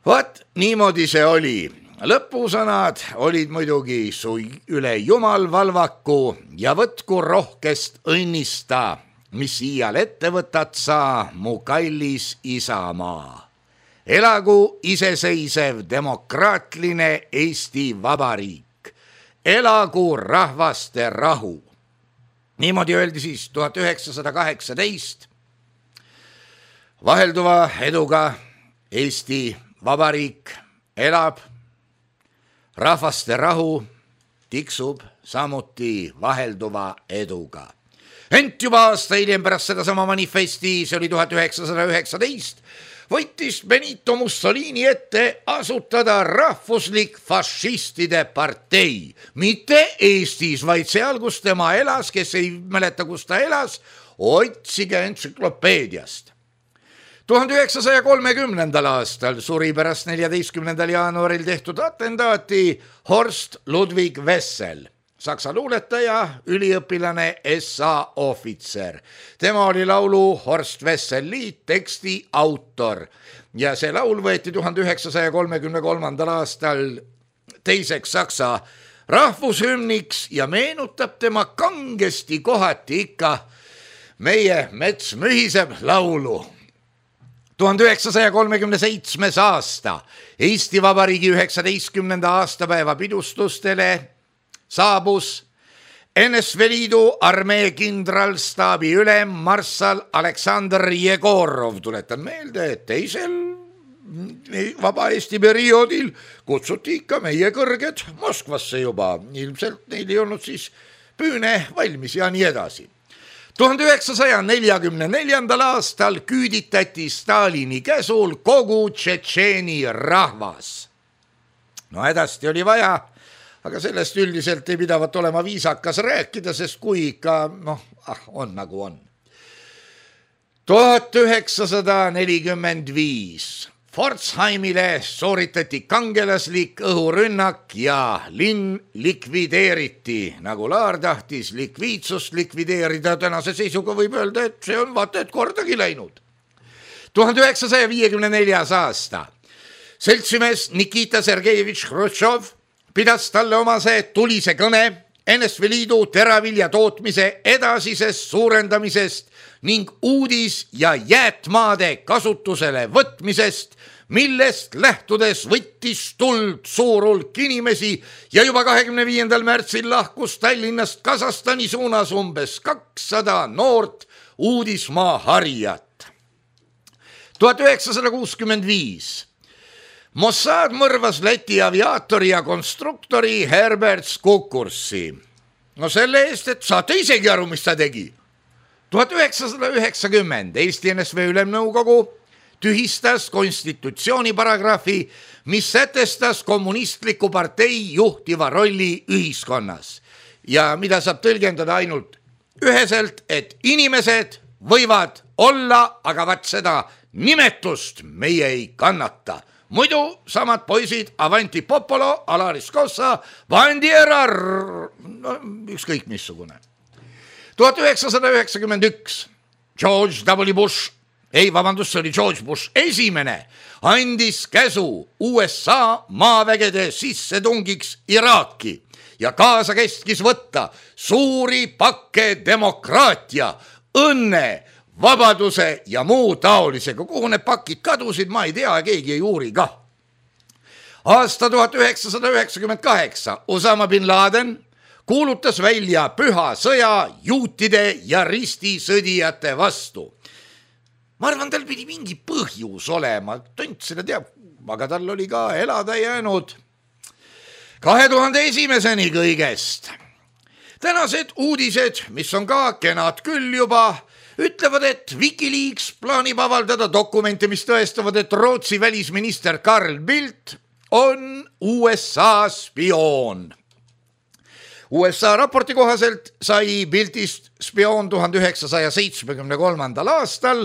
Vot niimoodi see oli. Lõpusõnad olid muidugi su üle jumal valvaku ja võtku rohkest õnnista, mis iial ette võtad sa, mu kallis isamaa. Elagu iseseisev demokraatline Eesti Vabariik. Elagu rahvaste rahu. Niimoodi öeldi siis tuhat üheksasada kaheksateist. Vahelduva eduga Eesti Vabariik elab. Rahvaste rahu tiksub samuti vahelduva eduga. Ent juba aasta hiljem pärast seda sama manifesti, see oli tuhat üheksasada üheksateist, võttis Benito Mussolini ette asutada rahvuslik fašistide partei. Mitte Eestis, vaid seal, kus tema elas, kes ei mäleta, kus ta elas, otsige entsüklopeediast. tuhande üheksasaja kolmekümnendal aastal suri pärast neljateistkümnendal jaanuaril tehtud atentaati Horst Ludwig Wessel, saksa luuletaja, üliõpilane, S A ohvitser. Tema oli laulu Horst Wessel liit teksti autor ja see laul võeti tuhande üheksasaja kolmekümne kolmandal aastal teiseks saksa rahvushümniks ja meenutab tema kangesti kohati ikka meie mets mühiseb laulu. tuhande üheksasaja kolmekümne seitsmes aasta Eesti Vabariigi üheksateistkümnenda aastapäeva pidustustele saabus N S V Liidu armee kindralstaabi ülem marssal Aleksandr Jegorov. Tuletan meelde, et teisel Vaba Eesti perioodil kutsuti ikka meie kõrged Moskvasse juba. Ilmselt neil ei olnud siis püüne valmis ja nii edasi. tuhande üheksasaja neljakümne neljandal aastal küüditati Stalini käsul kogu Tšetšeeni rahvas. No hädasti oli vaja, aga sellest üldiselt ei pidavat olema viisakas rääkida, sest kui ikka, noh, ah, on nagu on. tuhat üheksasada nelikümmend viis Pforzheimile sooritati kangelaslik õhurünnak ja linn likvideeriti, nagu Laar tahtis likviidsust likvideerida. Tänase seisuga võib öelda, et see on vaata et kordagi läinud. tuhande üheksasaja viiekümne neljas aasta seltsimees Nikita Sergejevitš Hruštšov pidas talle omase tulise kõne N S V Liidu teravilja tootmise edasisest suurendamisest ning uudis- ja jäätmaade kasutusele võtmisest, millest lähtudes võttis tuld suur hulk inimesi ja juba kahekümne viiendal märtsil lahkus Tallinnast Kasahstani suunas umbes kakssada noort uudismaa harijat. tuhat üheksasada kuuskümmend viis Mossad mõrvas Läti aviaatori ja konstruktori Herbert Skukursi. No selle eest, et saate isegi aru, mis ta tegi. tuhat üheksasada üheksakümmend Eesti N S V Ülemnõukogu tühistas konstitutsiooni paragrahvi, mis sätestas kommunistliku partei juhtiva rolli ühiskonnas ja mida saab tõlgendada ainult üheselt, et inimesed võivad olla, aga vaat seda nimetust meie ei kannata. Muidu samad poisid Avanti Popolo, Alaris Kossa, Bandiera, no, ükskõik missugune. tuhat üheksasada üheksakümmend üks George W. Bush ei vabandust, see oli George Bush esimene, andis käsu U S A maavägede sissetungiks Iraaki ja kaasa kestis võtta suuri pakke demokraatia, õnne, vabaduse ja muu taolisega. Kuhu need pakid kadusid, ma ei tea, keegi ei uuri ka. Aasta tuhat üheksasada üheksakümmend kaheksa Osama bin Laden kuulutas välja püha sõja juutide ja ristisõdijate vastu. Ma arvan, tal pidi mingi põhjus olema, tont seda teab, aga tal oli ka elada jäänud kahe tuhande esimeseni kõigest. Tänased uudised, mis on ka kenad küll juba, ütlevad, et Wikileaks plaanib avaldada dokumente, mis tõestavad, et Rootsi välisminister Carl Bildt on U S A spioon. U S A raporti kohaselt sai Bildtist spioon tuhande üheksasaja seitsmekümne kolmandal aastal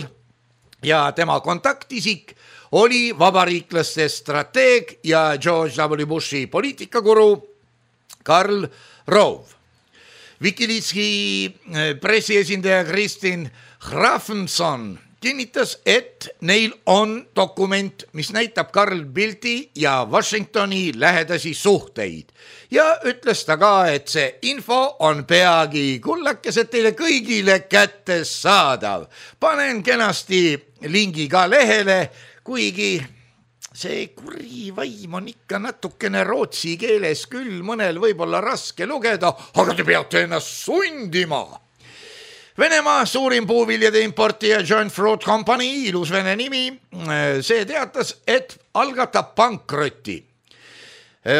ja tema kontaktisik oli vabariiklaste strateeg ja George W. Bushi poliitikakuru Karl Rove. Wikileaksi pressiesindaja Kristin Hrafnson kinnitas, et neil on dokument, mis näitab Carl Bildti ja Washingtoni lähedasi suhteid ja ütles ta ka, et see info on peagi kullakesed teile kõigile kättes saadav. Panen kenasti lingi ka lehele, kuigi see kuri vaim on ikka natukene rootsi keeles küll mõnel võib-olla raske lugeda, aga te peate ennast sundima. Venemaa suurim puuviljade importija John Fruit Company, ilus vene nimi, see teatas, et algatab pankroti.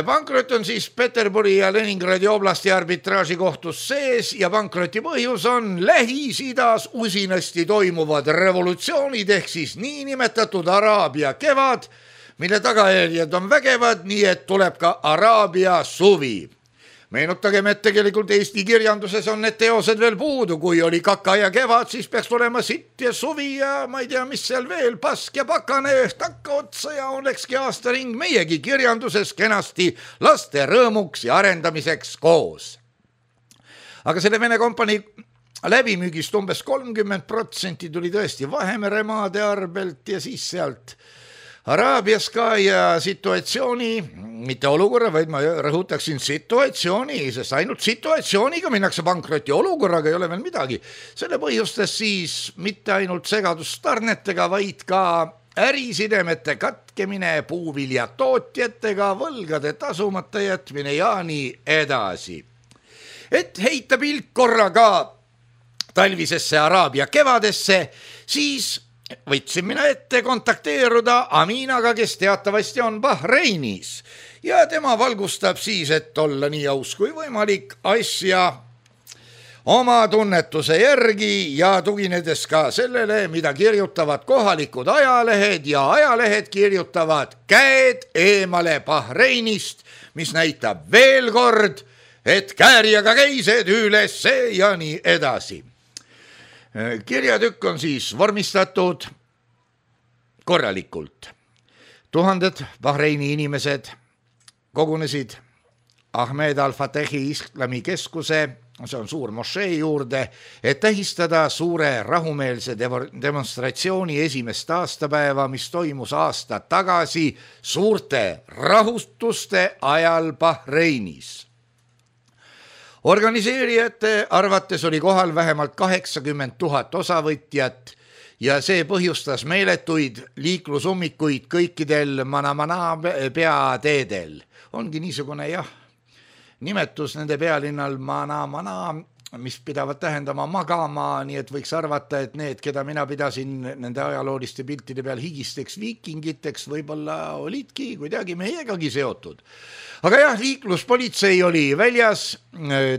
Pankrot on siis Peterburi ja Leningradi oblasti arbitraaži kohtus sees ja pankroti põhjus on Lähis-Idas usinasti toimuvad revolutsioonid ehk siis niinimetatud Araabia kevad, mille tagajärjed on vägevad, nii et tuleb ka Araabia suvi. Meenutagem, et tegelikult Eesti kirjanduses on need teosed veel puudu, kui oli kaka ja kevad, siis peaks olema sitt ja suvi ja ma ei tea, mis seal veel, pask ja pakane, takka otsa ja olekski aastaring meiegi kirjanduses kenasti laste rõõmuks ja arendamiseks koos. Aga selle Vene kompanii läbimüügist umbes kolmkümmend protsenti tuli tõesti Vahemere maade arvelt ja siis sealt Araabias ka ja situatsiooni, mitte olukorra, vaid ma rõhutaksin situatsiooni, sest ainult situatsiooniga minnakse pankroti, olukorraga ei ole veel midagi. Selle põhjustas siis mitte ainult segadust tarnetega, vaid ka ärisidemete katkemine puuviljatootjatega, võlgade tasumata jätmine ja nii edasi. Et heita pilk korraga talvisesse Araabia kevadesse, siis võtsin mina ette kontakteeruda Aminaga, kes teatavasti on Bahreinis ja tema valgustab siis, et olla nii aus kui võimalik asja oma tunnetuse järgi ja tuginedes ka sellele, mida kirjutavad kohalikud ajalehed ja ajalehed kirjutavad käed eemale Bahreinist, mis näitab veel kord, et käärjaga käised üles ja nii edasi. Kirjatükk on siis vormistatud korralikult. Tuhanded Bahreini inimesed kogunesid Ahmed Al-Fatehi islami keskuse, see on suur mošee juurde, et tähistada suure rahumeelse demonstratsiooni esimest aastapäeva, mis toimus aasta tagasi suurte rahutuste ajal Bahreinis. Organiseerijate arvates oli kohal vähemalt kaheksakümmend tuhat osavõtjat ja see põhjustas meeletuid liiklusummikuid kõikidel Manamana peateedel. Ongi niisugune jah, nimetus nende pealinnal Manamana, mis pidavad tähendama magama, nii et võiks arvata, et need, keda mina pidasin nende ajalooliste piltide peal higisteks viikingiteks, võib-olla olidki kuidagi meiegagi seotud. Aga jah, liikluspolitsei oli väljas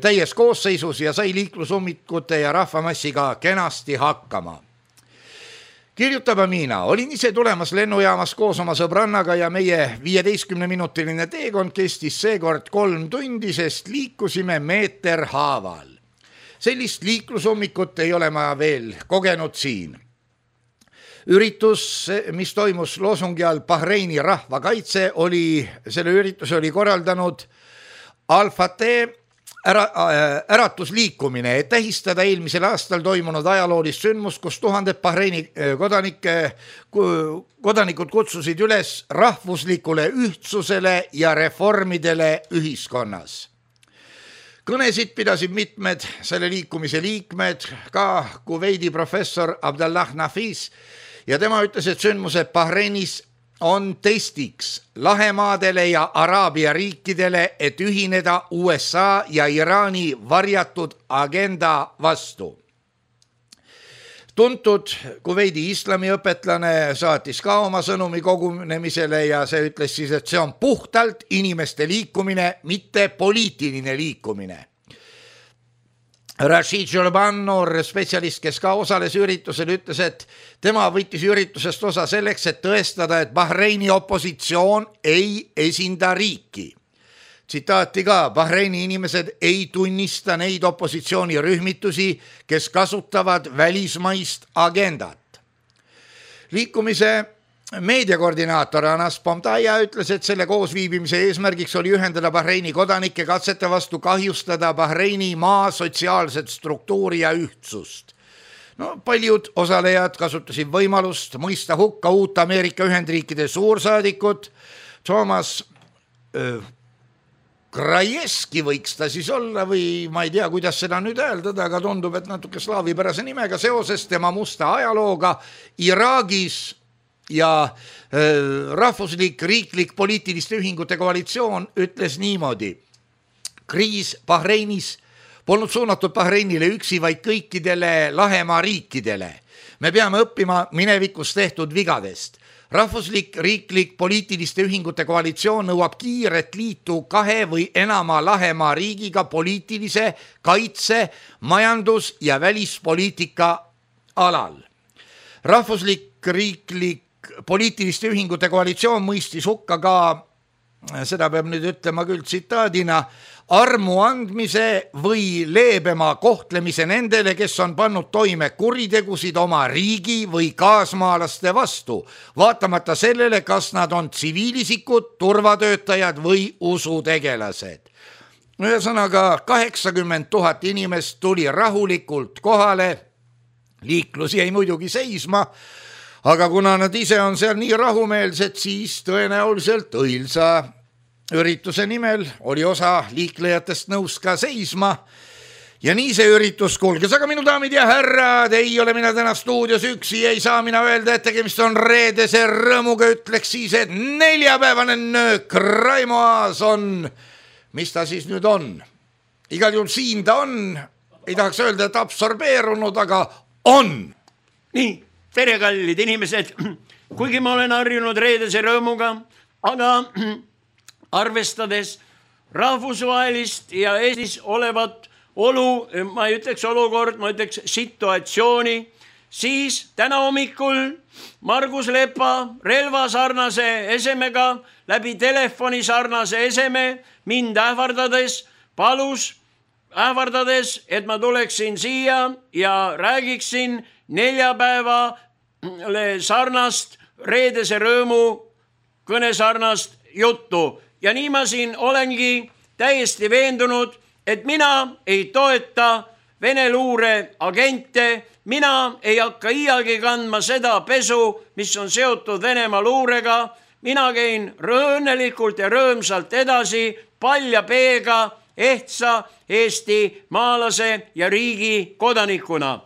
täies koosseisus ja sai liiklusummikute ja rahvamassiga kenasti hakkama. Kirjutab Amina, olin ise tulemas lennujaamas koos oma sõbrannaga ja meie viieteistkümne minutiline teekond kestis seekord kolm tundi, sest liikusime meeter haaval. Sellist liiklusummikut ei ole ma veel kogenud siin. Üritus, mis toimus loosungi all Bahreini rahvakaitse, oli, selle ürituse oli korraldanud Al-Fateh ära, äratusliikumine, et tähistada eelmisel aastal toimunud ajaloolist sündmust, kus tuhanded Bahreini kodanike, kodanikud kutsusid üles rahvuslikule ühtsusele ja reformidele ühiskonnas. Kõnesid pidasid mitmed selle liikumise liikmed, ka Kuveidi professor Abdallah Nafis, ja tema ütles, et sündmused Bahreinis on testiks Lahemaadele ja Araabia riikidele, et ühineda U S A ja Iraani varjatud agenda vastu. Tuntud Kuveidi islamiõpetlane saatis ka oma sõnumi kogunemisele ja see ütles siis, et see on puhtalt inimeste liikumine, mitte poliitiline liikumine. Rashid Jolban, noor spetsialist, kes ka osales üritusel, ütles, et tema võttis üritusest osa selleks, et tõestada, et Bahreini opositsioon ei esinda riiki. Tsitaati ka, Bahreini inimesed ei tunnista neid opositsioonirühmitusi, kes kasutavad välismaist agendat. Liikumise meediakoordinaator Anas Pomtaja ütles, et selle koosviibimise eesmärgiks oli ühendada Bahreini kodanike katsete vastu kahjustada Bahreini maa sotsiaalset struktuuri ja ühtsust. No, paljud osalejad kasutasid võimalust mõista hukka uut Ameerika Ühendriikide suursaadikut Thomas öö, Krajeski võiks ta siis olla või ma ei tea, kuidas seda nüüd öeldada, aga tundub, et natuke slaavipärase nimega seoses tema musta ajalooga Iraagis ja äh, rahvuslik riiklik poliitiliste ühingute koalitsioon ütles niimoodi. Kriis Bahreinis polnud suunatud Bahreinile üksi, vaid kõikidele Lahemaa riikidele. Me peame õppima minevikus tehtud vigadest. Rahvuslik riiklik poliitiliste ühingute koalitsioon nõuab kiiret liitu kahe või enama Lahemaa riigiga poliitilise, kaitse, majandus- ja välispoliitika alal. Rahvuslik riiklik poliitiliste ühingute koalitsioon mõistis hukka ka, seda peab nüüd ütlema küll tsitaadina, armu andmise või leebema kohtlemise nendele, kes on pannud toime kuritegusid oma riigi või kaasmaalaste vastu, vaatamata sellele, kas nad on tsiviilisikud, turvatöötajad või usutegelased. Ühesõnaga, kaheksakümmend tuhat inimest tuli rahulikult kohale, liiklus jäi muidugi seisma, aga kuna nad ise on seal nii rahumeelsed, siis tõenäoliselt õilsa ürituse nimel oli osa liiklejatest nõus ka seisma ja nii see üritus kulges. Aga minu daamid ja härrad, ei ole mina täna stuudios üksi, ei saa mina öelda, et tegemist on reedese rõõmuga, ütleks siis, et neljapäevane nöök Raimo Aas on, mis ta siis nüüd on? Igal juhul siin ta on, ei tahaks öelda, et absorbeerunud, aga on. Nii, tere kallid inimesed, kuigi ma olen harjunud reedese rõõmuga, aga arvestades rahvusvahelist ja Eestis olevat olu, ma ei ütleks olukord, ma ütleks situatsiooni, siis täna hommikul Margus Lepa relva sarnase esemega läbi telefoni sarnase eseme mind ähvardades palus, ähvardades, et ma tuleksin siia ja räägiksin neljapäevale sarnast reedese rõõmu kõnesarnast juttu. Ja nii ma siin olengi täiesti veendunud, et mina ei toeta Vene luure agente, mina ei hakka iialgi kandma seda pesu, mis on seotud Venemaa luurega, mina käin õnnelikult ja rõõmsalt edasi palja peega ehtsa Eesti maalase ja riigi kodanikuna.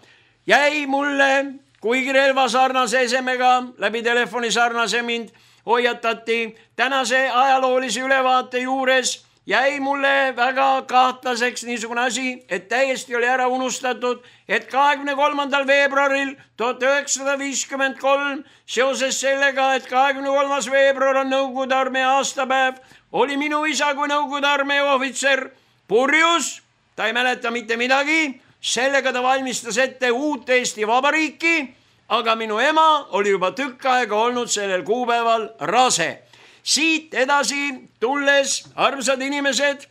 Jäi mulle, kuigi relva sarnase esemega läbi telefoni sarnase mind hoiatati, tänase ajaloolise ülevaate juures jäi mulle väga kahtlaseks niisugune asi, et täiesti oli ära unustatud, et kahekümne kolmandal veebruaril tuhat üheksasada viiskümmend kolm seoses sellega, et kahekümne kolmas veebruar on Nõukogude armee aastapäev, oli minu isa kui Nõukogude armee ohvitser purjus, ta ei mäleta mitte midagi, sellega ta valmistas ette uut Eesti Vabariiki, aga minu ema oli juba tükk aega olnud sellel kuupäeval rase. Siit edasi tulles, armsad inimesed,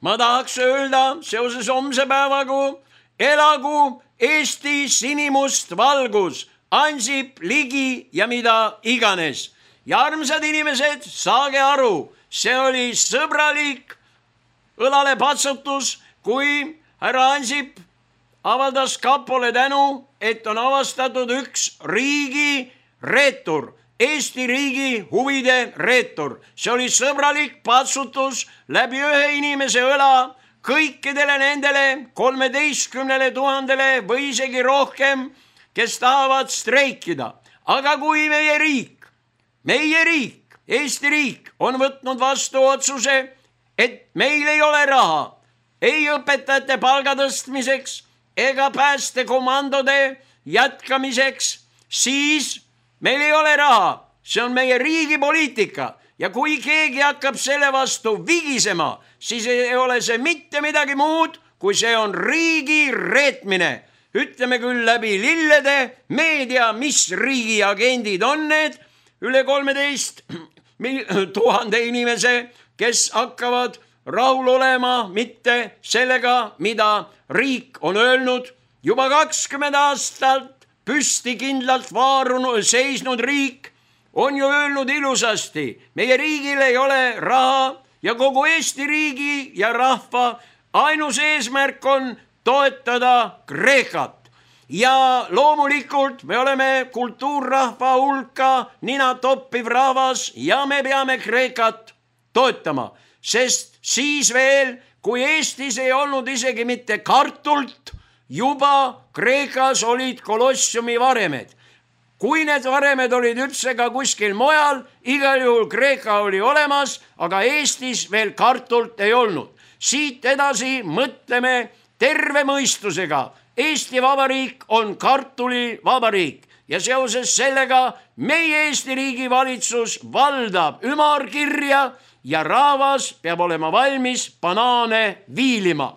ma tahaks öelda seoses homse päevaga, elagu Eesti sinimust valgus, Ansip, Ligi ja mida iganes. Ja armsad inimesed, saage aru, see oli sõbralik õlale patsutus, kui härra Ansip avaldas kapole tänu, et on avastatud üks riigi reetur, Eesti riigi huvide reetur. See oli sõbralik patsutus läbi ühe inimese õla kõikidele nendele kolmeteistkümnele tuhandele või isegi rohkem, kes tahavad streikida. Aga kui meie riik, meie riik, Eesti riik on võtnud vastu otsuse, et meil ei ole raha ei õpetajate palga tõstmiseks ega päästekomandode jätkamiseks, siis meil ei ole raha. See on meie riigi poliitika ja kui keegi hakkab selle vastu vigisema, siis ei ole see mitte midagi muud, kui see on riigi reetmine. Ütleme küll läbi lillede, meedia, mis riigi agendid on need, üle kolmeteist tuhande inimese, kes hakkavad rahul olema mitte sellega, mida riik on öelnud. Juba kakskümmend aastat püsti kindlalt vaarunud, seisnud riik on ju öelnud ilusasti, meie riigil ei ole raha ja kogu Eesti riigi ja rahva ainus eesmärk on toetada Kreekat. Ja loomulikult me oleme kultuurrahva hulka nina toppiv rahvas ja me peame Kreekat toetama, sest siis veel, kui Eestis ei olnud isegi mitte kartult, juba Kreekas olid kolossiumi varemed. Kui need varemed olid üldse ka kuskil mujal, igal juhul Kreeka oli olemas, aga Eestis veel kartult ei olnud. Siit edasi mõtleme terve mõistusega. Eesti Vabariik on kartuli vabariik ja seoses sellega meie Eesti riigi valitsus valdab ümarkirja ja rahvas peab olema valmis banaane viilima.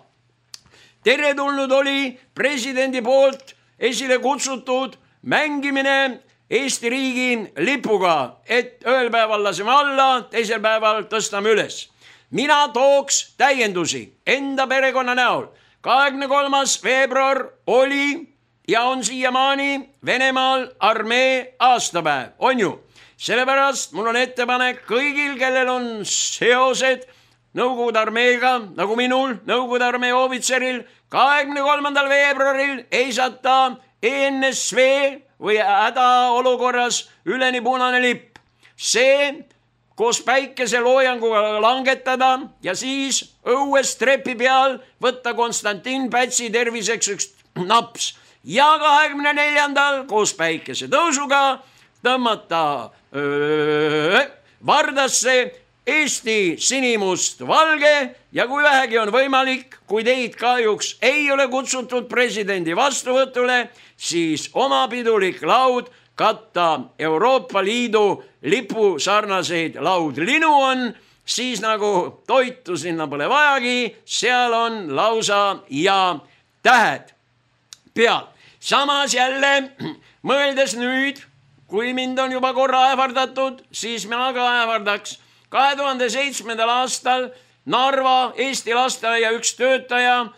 Teretulnud oli presidendi poolt esile kutsutud mängimine Eesti riigi lipuga, et ühel päeval laseme alla, teisel päeval tõstame üles. Mina tooks täiendusi enda perekonna näol. kahekümne kolmas veebruar oli ja on siiamaani Venemaal armee aastapäev, on ju. Sellepärast mul on ettepanek kõigil, kellel on seosed Nõukogude armeega, nagu minul, Nõukogude armee ohvitseril, kahekümne kolmandal veebruaril eisata E N S V või hädaolukorras üleni punane lipp. See koos päikeseloojanguga langetada ja siis õues trepi peal võtta Konstantin Pätsi terviseks üks naps. Ja kahekümne neljandal koos päikese tõusuga tõmmata öö, vardasse Eesti sinimust valge ja kui vähegi on võimalik, kui teid kahjuks ei ole kutsutud presidendi vastuvõtule, siis oma pidulik laud katta Euroopa Liidu lipu sarnaseid laudlinu on, siis nagu toitu sinna pole vajagi, seal on lausa ja tähed peal. Samas jälle mõeldes nüüd, kui mind on juba korra ähvardatud, siis mina ka ähvardaks. kahe tuhande seitsmendal aastal Narva Eesti lasteaia üks töötaja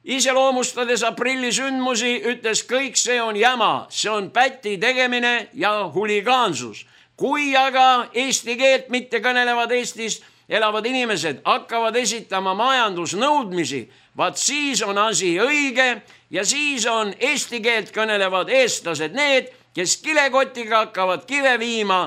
iseloomustades aprilli sündmusi ütles, kõik see on jama, see on päti tegemine ja huligaansus. Kui aga eesti keelt mitte kõnelevad Eestis elavad inimesed hakkavad esitama majandusnõudmisi, vaat siis on asi õige ja siis on eesti keelt kõnelevad eestlased need, kes kilekotiga hakkavad kive viima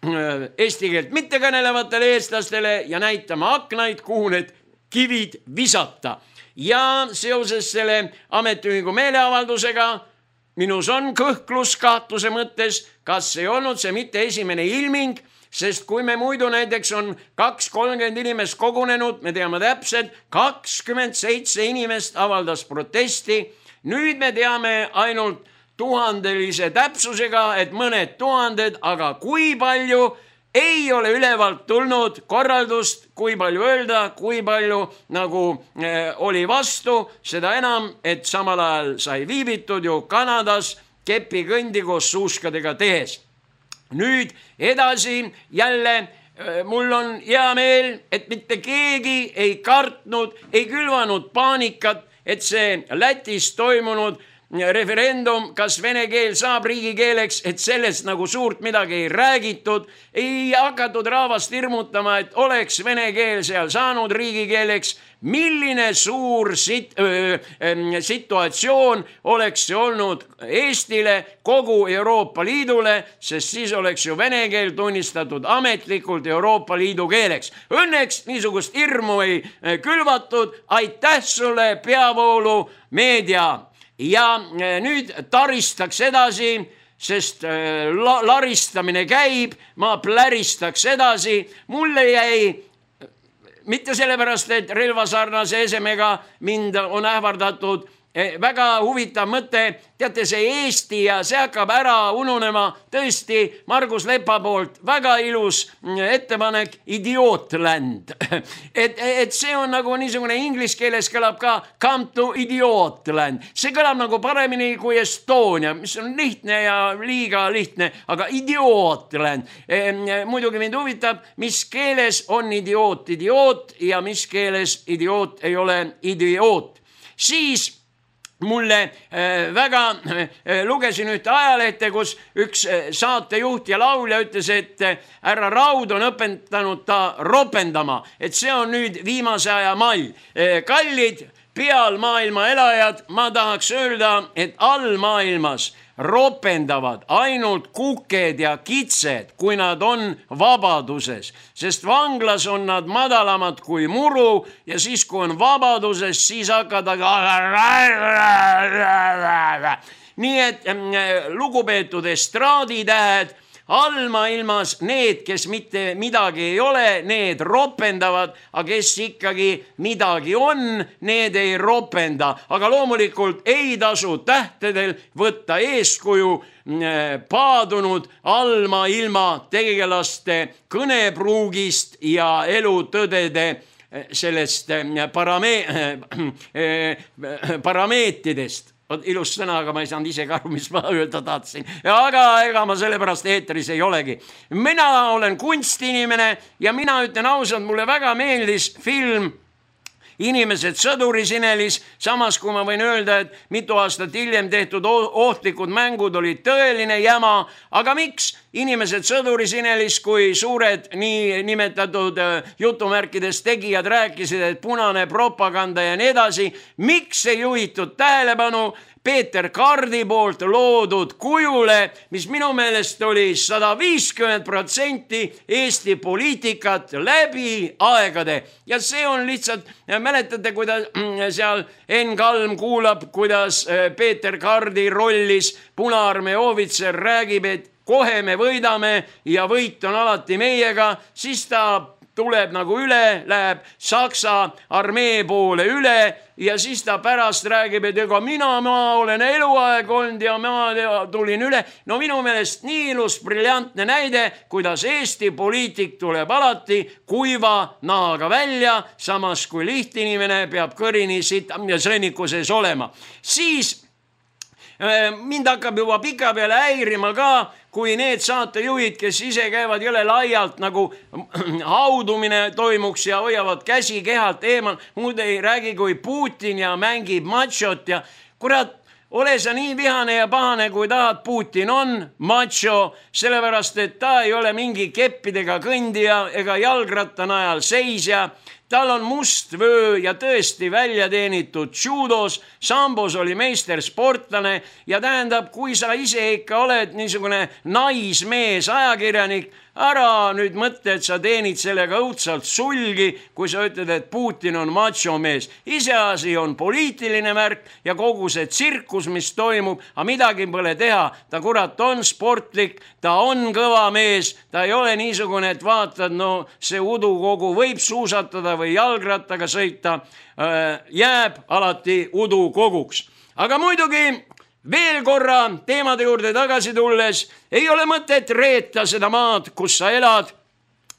eesti keelt mitte kõnelevatele eestlastele ja näitama aknaid, kuhu need kivid visata. Ja seoses selle ametiühingu meeleavaldusega minus on kõhklus kahtluse mõttes, kas ei olnud see mitte esimene ilming, sest kui me muidu näiteks on kaks kolmkümmend inimest kogunenud, me teame täpselt, kakskümmend seitse inimest avaldas protesti. Nüüd me teame ainult tuhandelise täpsusega, et mõned tuhanded, aga kui palju ei ole ülevalt tulnud korraldust, kui palju öelda, kui palju nagu eh, oli vastu, seda enam, et samal ajal sai viibitud ju Kanadas kepikõndi koos suuskadega tehes. Nüüd edasi jälle eh, mul on hea meel, et mitte keegi ei kartnud, ei külvanud paanikat, et see Lätis toimunud referendum, kas vene keel saab riigikeeleks, et sellest nagu suurt midagi ei räägitud, ei hakatud rahvast hirmutama, et oleks vene keel seal saanud riigikeeleks. Milline suur sit, öö, situatsioon oleks see olnud Eestile, kogu Euroopa Liidule, sest siis oleks ju vene keel tunnistatud ametlikult Euroopa Liidu keeleks. Õnneks niisugust hirmu ei külvatud, aitäh sulle, peavoolu meedia. Ja nüüd taristaks edasi, sest la, laristamine käib, ma pläristaks edasi, mulle jäi mitte sellepärast, et relvasarnase esemega mind on ähvardatud, väga huvitav mõte, teate see Eesti ja see hakkab ära ununema, tõesti Margus Lepa poolt väga ilus ettepanek Idiotland. Et, et see on nagu niisugune inglise keeles kõlab ka come to Idiotland. See kõlab nagu paremini kui Estonia, mis on lihtne ja liiga lihtne, aga Idiotland. Muidugi mind huvitab, mis keeles on idioot idioot ja mis keeles idioot ei ole idioot. Siis mulle väga lugesin ühte ajalehte, kus üks saatejuht ja laulja ütles, et härra Raud on õpetanud ta ropendama, et see on nüüd viimase aja mall. Kallid peal maailma elajad, ma tahaks öelda, et all maailmas ropendavad ainult kuked ja kitsed, kui nad on vabaduses, sest vanglas on nad madalamad kui muru ja siis, kui on vabaduses, siis hakkad nii et lugupeetud estraaditähed, allmaailmas need, kes mitte midagi ei ole, need ropendavad, aga kes ikkagi midagi on, need ei ropenda. Aga loomulikult ei tasu tähtedel võtta eeskuju paadunud allmaailma tegelaste kõnepruugist ja elutõdede sellest parame- parameetidest. Ilus sõna, aga ma ei saanud ise ka aru, mis ma öelda tahtsin. Aga ega ma sellepärast eetris ei olegi. Mina olen kunstinimene ja mina ütlen ausalt, mulle väga meeldis film Inimesed sõdurisinelis, samas kui ma võin öelda, et mitu aastat hiljem tehtud ohtlikud mängud olid tõeline jama, aga miks Inimesed sõdurisinelis, kui suured nii nimetatud jutumärkides tegijad rääkisid, et punane propaganda ja nii edasi, miks ei juhitud tähelepanu Peeter Kardi poolt loodud kujule, mis minu meelest oli sada viiskümmend protsenti Eesti poliitikat läbi aegade. Ja see on lihtsalt, mäletate, kuidas seal Enn Kalm kuulab, kuidas Peeter Kardi rollis Punaarmee ohvitser räägib, et kohe me võidame ja võit on alati meiega, siis ta tuleb nagu üle, läheb Saksa armee poole üle ja siis ta pärast räägib, et ega mina, ma olen eluaeg olnud ja ma tulin üle. No minu meelest nii ilus briljantne näide, kuidas Eesti poliitik tuleb alati kuiva naaga välja, samas kui lihtinimene peab kõrini siit ja sõnnikuses olema. Siis mind hakkab juba pika peale häirima ka, kui need saatejuhid, kes ise käivad jõle laialt nagu haudumine toimuks ja hoiavad käsi kehalt eemal, muud ei räägi kui Putin ja mängib machot ja kurat, ole sa nii vihane ja pahane, kui tahad, Putin on macho, sellepärast, et ta ei ole mingi keppidega kõndija ega jalgratta najal seisja. Tal on must vöö ja tõesti välja teenitud judos, sambos oli meistersportlane ja tähendab, kui sa ise ikka oled niisugune naismees ajakirjanik, ära nüüd mõtle, et sa teenid sellega õudsalt sulgi, kui sa ütled, et Putin on macho mees. Iseasi on poliitiline märk ja kogu see tsirkus, mis toimub, aga midagi pole teha. Ta kurat on sportlik, ta on kõva mees, ta ei ole niisugune, et vaatad, no see udukogu võib suusatada või jalgrattaga sõita, jääb alati udukoguks. Aga muidugi veel korra teemade juurde tagasi tulles, ei ole mõtet reeta seda maad, kus sa elad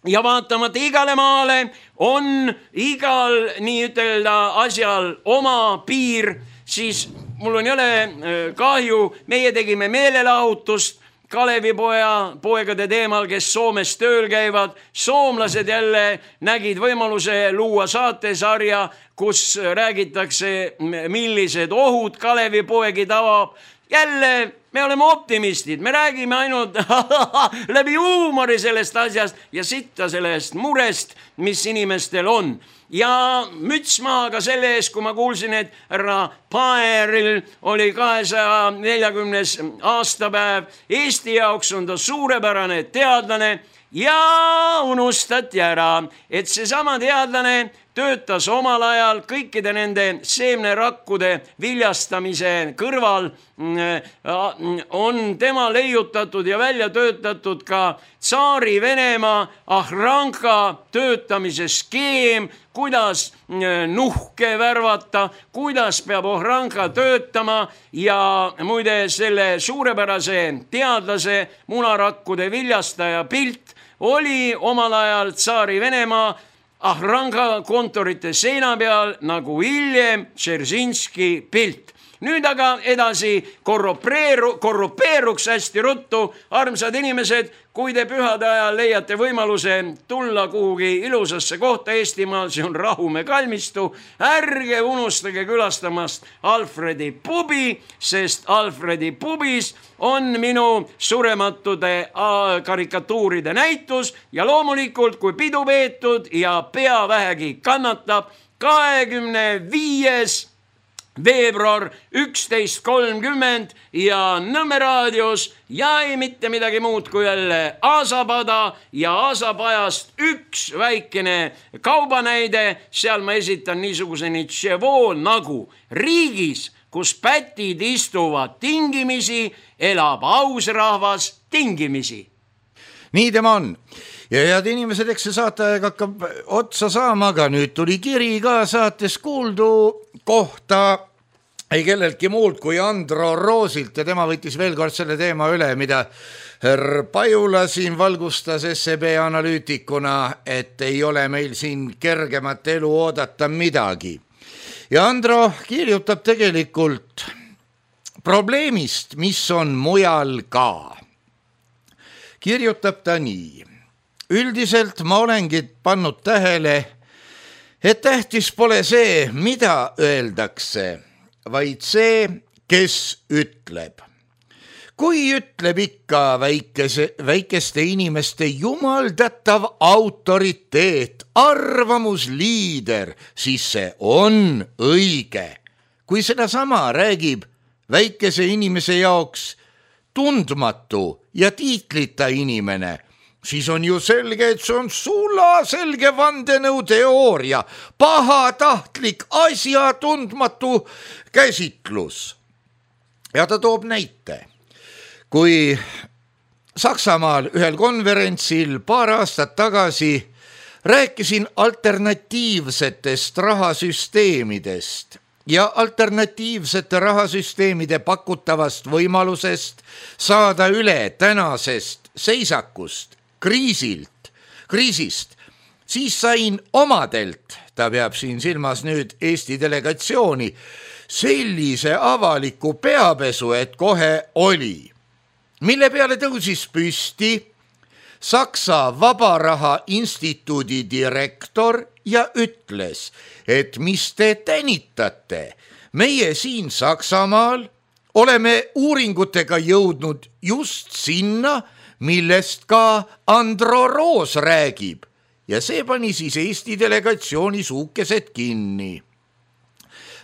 ja vaatamata igale maale on igal nii ütelda asjal oma piir, siis mul on jälle kahju, meie tegime meelelahutust Kalevipoja poegade teemal, kes Soomes tööl käivad. Soomlased jälle nägid võimaluse luua saatesarja, kus räägitakse, millised ohud Kalevipoegi tavab. Jälle me oleme optimistid, me räägime ainult läbi huumori sellest asjast ja sitta sellest murest, mis inimestel on. Ja müts maha ka selle ees, kui ma kuulsin, et härra Paeril oli kahesaja neljakümnes aastapäev. Eesti jaoks on ta suurepärane teadlane ja unustati ära, et seesama teadlane töötas omal ajal kõikide nende seemnerakkude viljastamise kõrval, on tema leiutatud ja välja töötatud ka Tsaari Venemaa Ahranka töötamise skeem, kuidas nuhke värvata, kuidas peab Ahranka töötama ja muide selle suurepärase teadlase munarakkude viljastaja pilt oli omal ajal Tsaari Venemaa Ahranka kontorite seina peal nagu hiljem Tšerzinski pilt. Nüüd aga edasi korrupeeru, korrupeeruks hästi ruttu. Armsad inimesed, kui te pühade ajal leiate võimaluse tulla kuhugi ilusasse kohta Eestimaal, see on Rahumäe kalmistu, ärge unustage külastamast Alfredi pubi, sest Alfredi pubis on minu surematude karikatuuride näitus ja loomulikult, kui pidu peetud ja pea vähegi kannatab, kahekümne viies veebruar üksteist kolmkümmend ja Nõmme raadios ja ei mitte midagi muud kui jälle Aasapada ja Aasapajast üks väikene kaubanäide. Seal ma esitan niisuguse nitševoo nagu riigis, kus pätid istuvad tingimisi, elab aus rahvas tingimisi. Nii tema on. Ja head inimesed, eks see saateaeg hakkab otsa saama, aga nüüd tuli kiri ka saates kuuldu kohta ei kelleltki muult kui Andro Roosilt ja tema võttis veel kord selle teema üle, mida härra Pajula siin valgustas S E B analüütikuna, et ei ole meil siin kergemat elu oodata midagi. Ja Andro kirjutab tegelikult probleemist, mis on mujal ka. Kirjutab ta nii. Üldiselt ma olengi pannud tähele, et tähtis pole see, mida öeldakse, vaid see, kes ütleb. Kui ütleb ikka väikese, väikeste inimeste jumaldatav autoriteet, arvamusliider, siis see on õige. Kui seda sama räägib väikese inimese jaoks tundmatu ja tiitlita inimene, siis on ju selge, et see on sula selge vandenõu teooria, pahatahtlik asjatundmatu käsitlus. Ja ta toob näite. Kui Saksamaal ühel konverentsil paar aastat tagasi rääkisin alternatiivsetest rahasüsteemidest ja alternatiivsete rahasüsteemide pakutavast võimalusest saada üle tänasest seisakust, kriisilt, kriisist, siis sain omadelt, ta peab siin silmas nüüd Eesti delegatsiooni, sellise avaliku peapesu, et kohe oli, mille peale tõusis püsti Saksa Vabaraha Instituudi direktor ja ütles, et mis te tänitate, meie siin Saksamaal oleme uuringutega jõudnud just sinna, millest ka Andro Roos räägib ja see pani siis Eesti delegatsiooni suukesed kinni.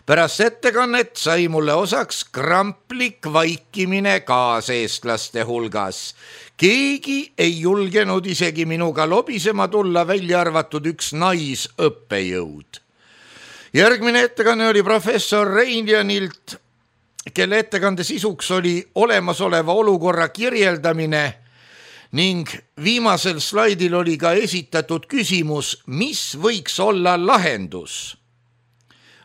Pärast ettekannet sai mulle osaks kramplik vaikimine kaaseestlaste hulgas. Keegi ei julgenud isegi minuga lobisema tulla, välja arvatud üks naisõppejõud. Järgmine ettekanne oli professor Reinjanilt, kelle ettekande sisuks oli olemasoleva olukorra kirjeldamine ning viimasel slaidil oli ka esitatud küsimus, mis võiks olla lahendus.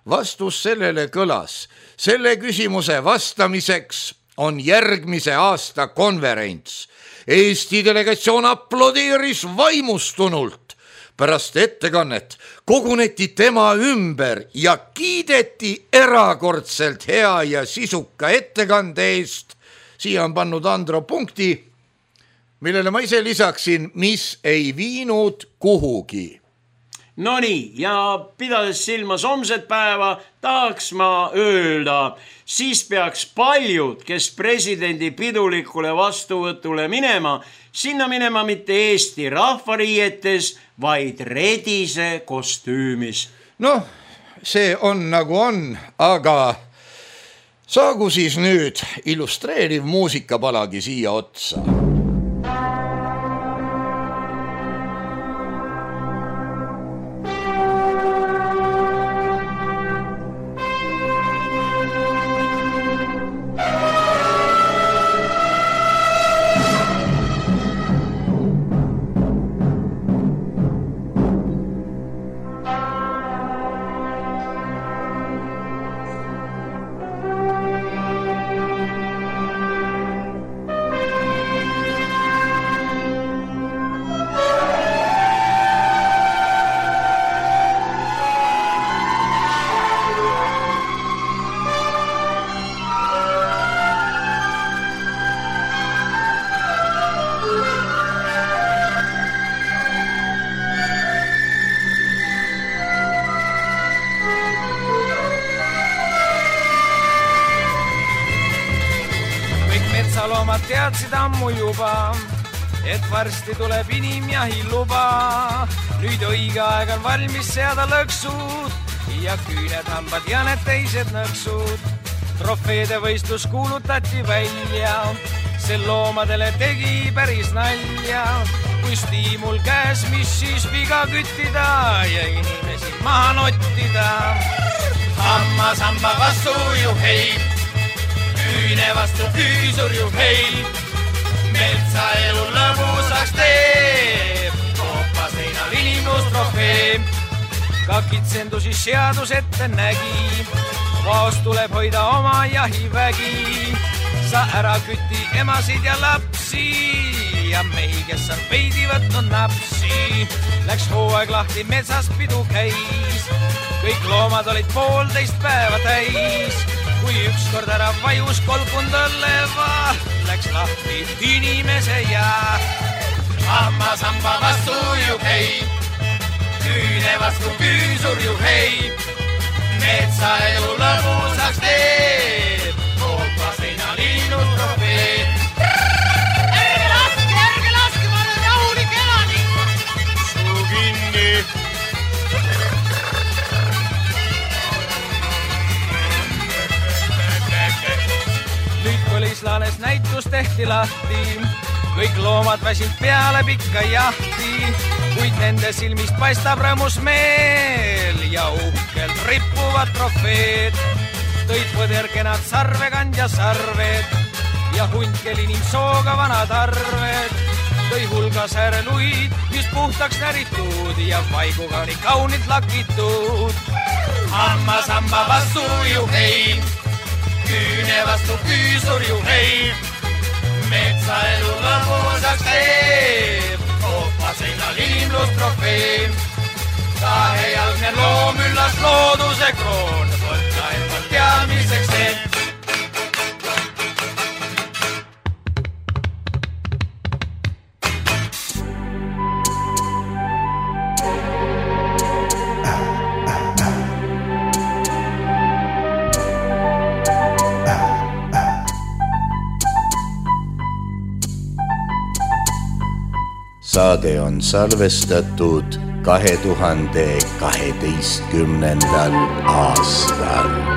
Vastus sellele kõlas. Selle küsimuse vastamiseks on järgmise aasta konverents. Eesti delegatsioon aplodeeris vaimustunult. Pärast ettekannet koguneti tema ümber ja kiideti erakordselt hea ja sisuka ettekande eest. siia on pannud Andro punkti, millele ma ise lisaksin, mis ei viinud kuhugi. No nii, ja pidades silmas homset päeva, tahaks ma öelda, siis peaks paljud, kes presidendi pidulikule vastuvõtule minema, sinna minema mitte Eesti rahvariietes, vaid redise kostüümis. Noh, see on nagu on, aga saagu siis nüüd illustreeriv muusikapalagi siia otsa. Loomad teadsid ammu juba, et varsti tuleb inimjahi luba. Nüüd õige aeg on valmis seada lõksud ja küüned, hambad ja need teised nõksud. Trofeede võistlus kuulutati välja, see loomadele tegi päris nalja. Kui stiimul käes, mis siis viga küttida ja inimesi maha nottida. Hammas hamba vastu juhei, küüne vastu küüsur juhei, metsaelu lõbusaks teeb, koopa seinal inimlus trofee. Ka kitsendusi seadus ette nägi, vaost tuleb hoida oma jahivägi. Sa ära küti emasid ja lapsi ja mehi, kes on veidi võtnud napsi. Läks hooaeg lahti, metsas pidu käis, kõik loomad olid poolteist päeva täis. Kui ükskord ära vajus kolkund õlleva, läks lahti inimese ja hammas hamba vastu juhei, küüne vastu küüsur juhei, metsaelu lõbusaks teeb, koopa seinal innus trofee. Ärge laske, ärge laske, ma olen rahulik elanik. Suu kinni. Põlislaanes näitus tehti lahti, kõik loomad väsid peale pikka jahti, kuid nende silmist paistab rõõmus meel ja uhkelt rippuvad trofeed. Tõid põderkenad sarvekandja sarved ja hundkel inimsooga vanad arved. Tõi hulga sääreluid, mis puhtaks näritud ja vaiguga oli kaunid lakitud. Hammas hamba vastu juhei, küüne vastu küüsur juhei, metsaelu lõbusaks teeb, koopa seinal inimlus trofee. Kahejalgne loom üllas looduse kroon, võtta endalt teadmiseks see. Saade on salvestatud kahe tuhande kaheteistkümnendal aastal.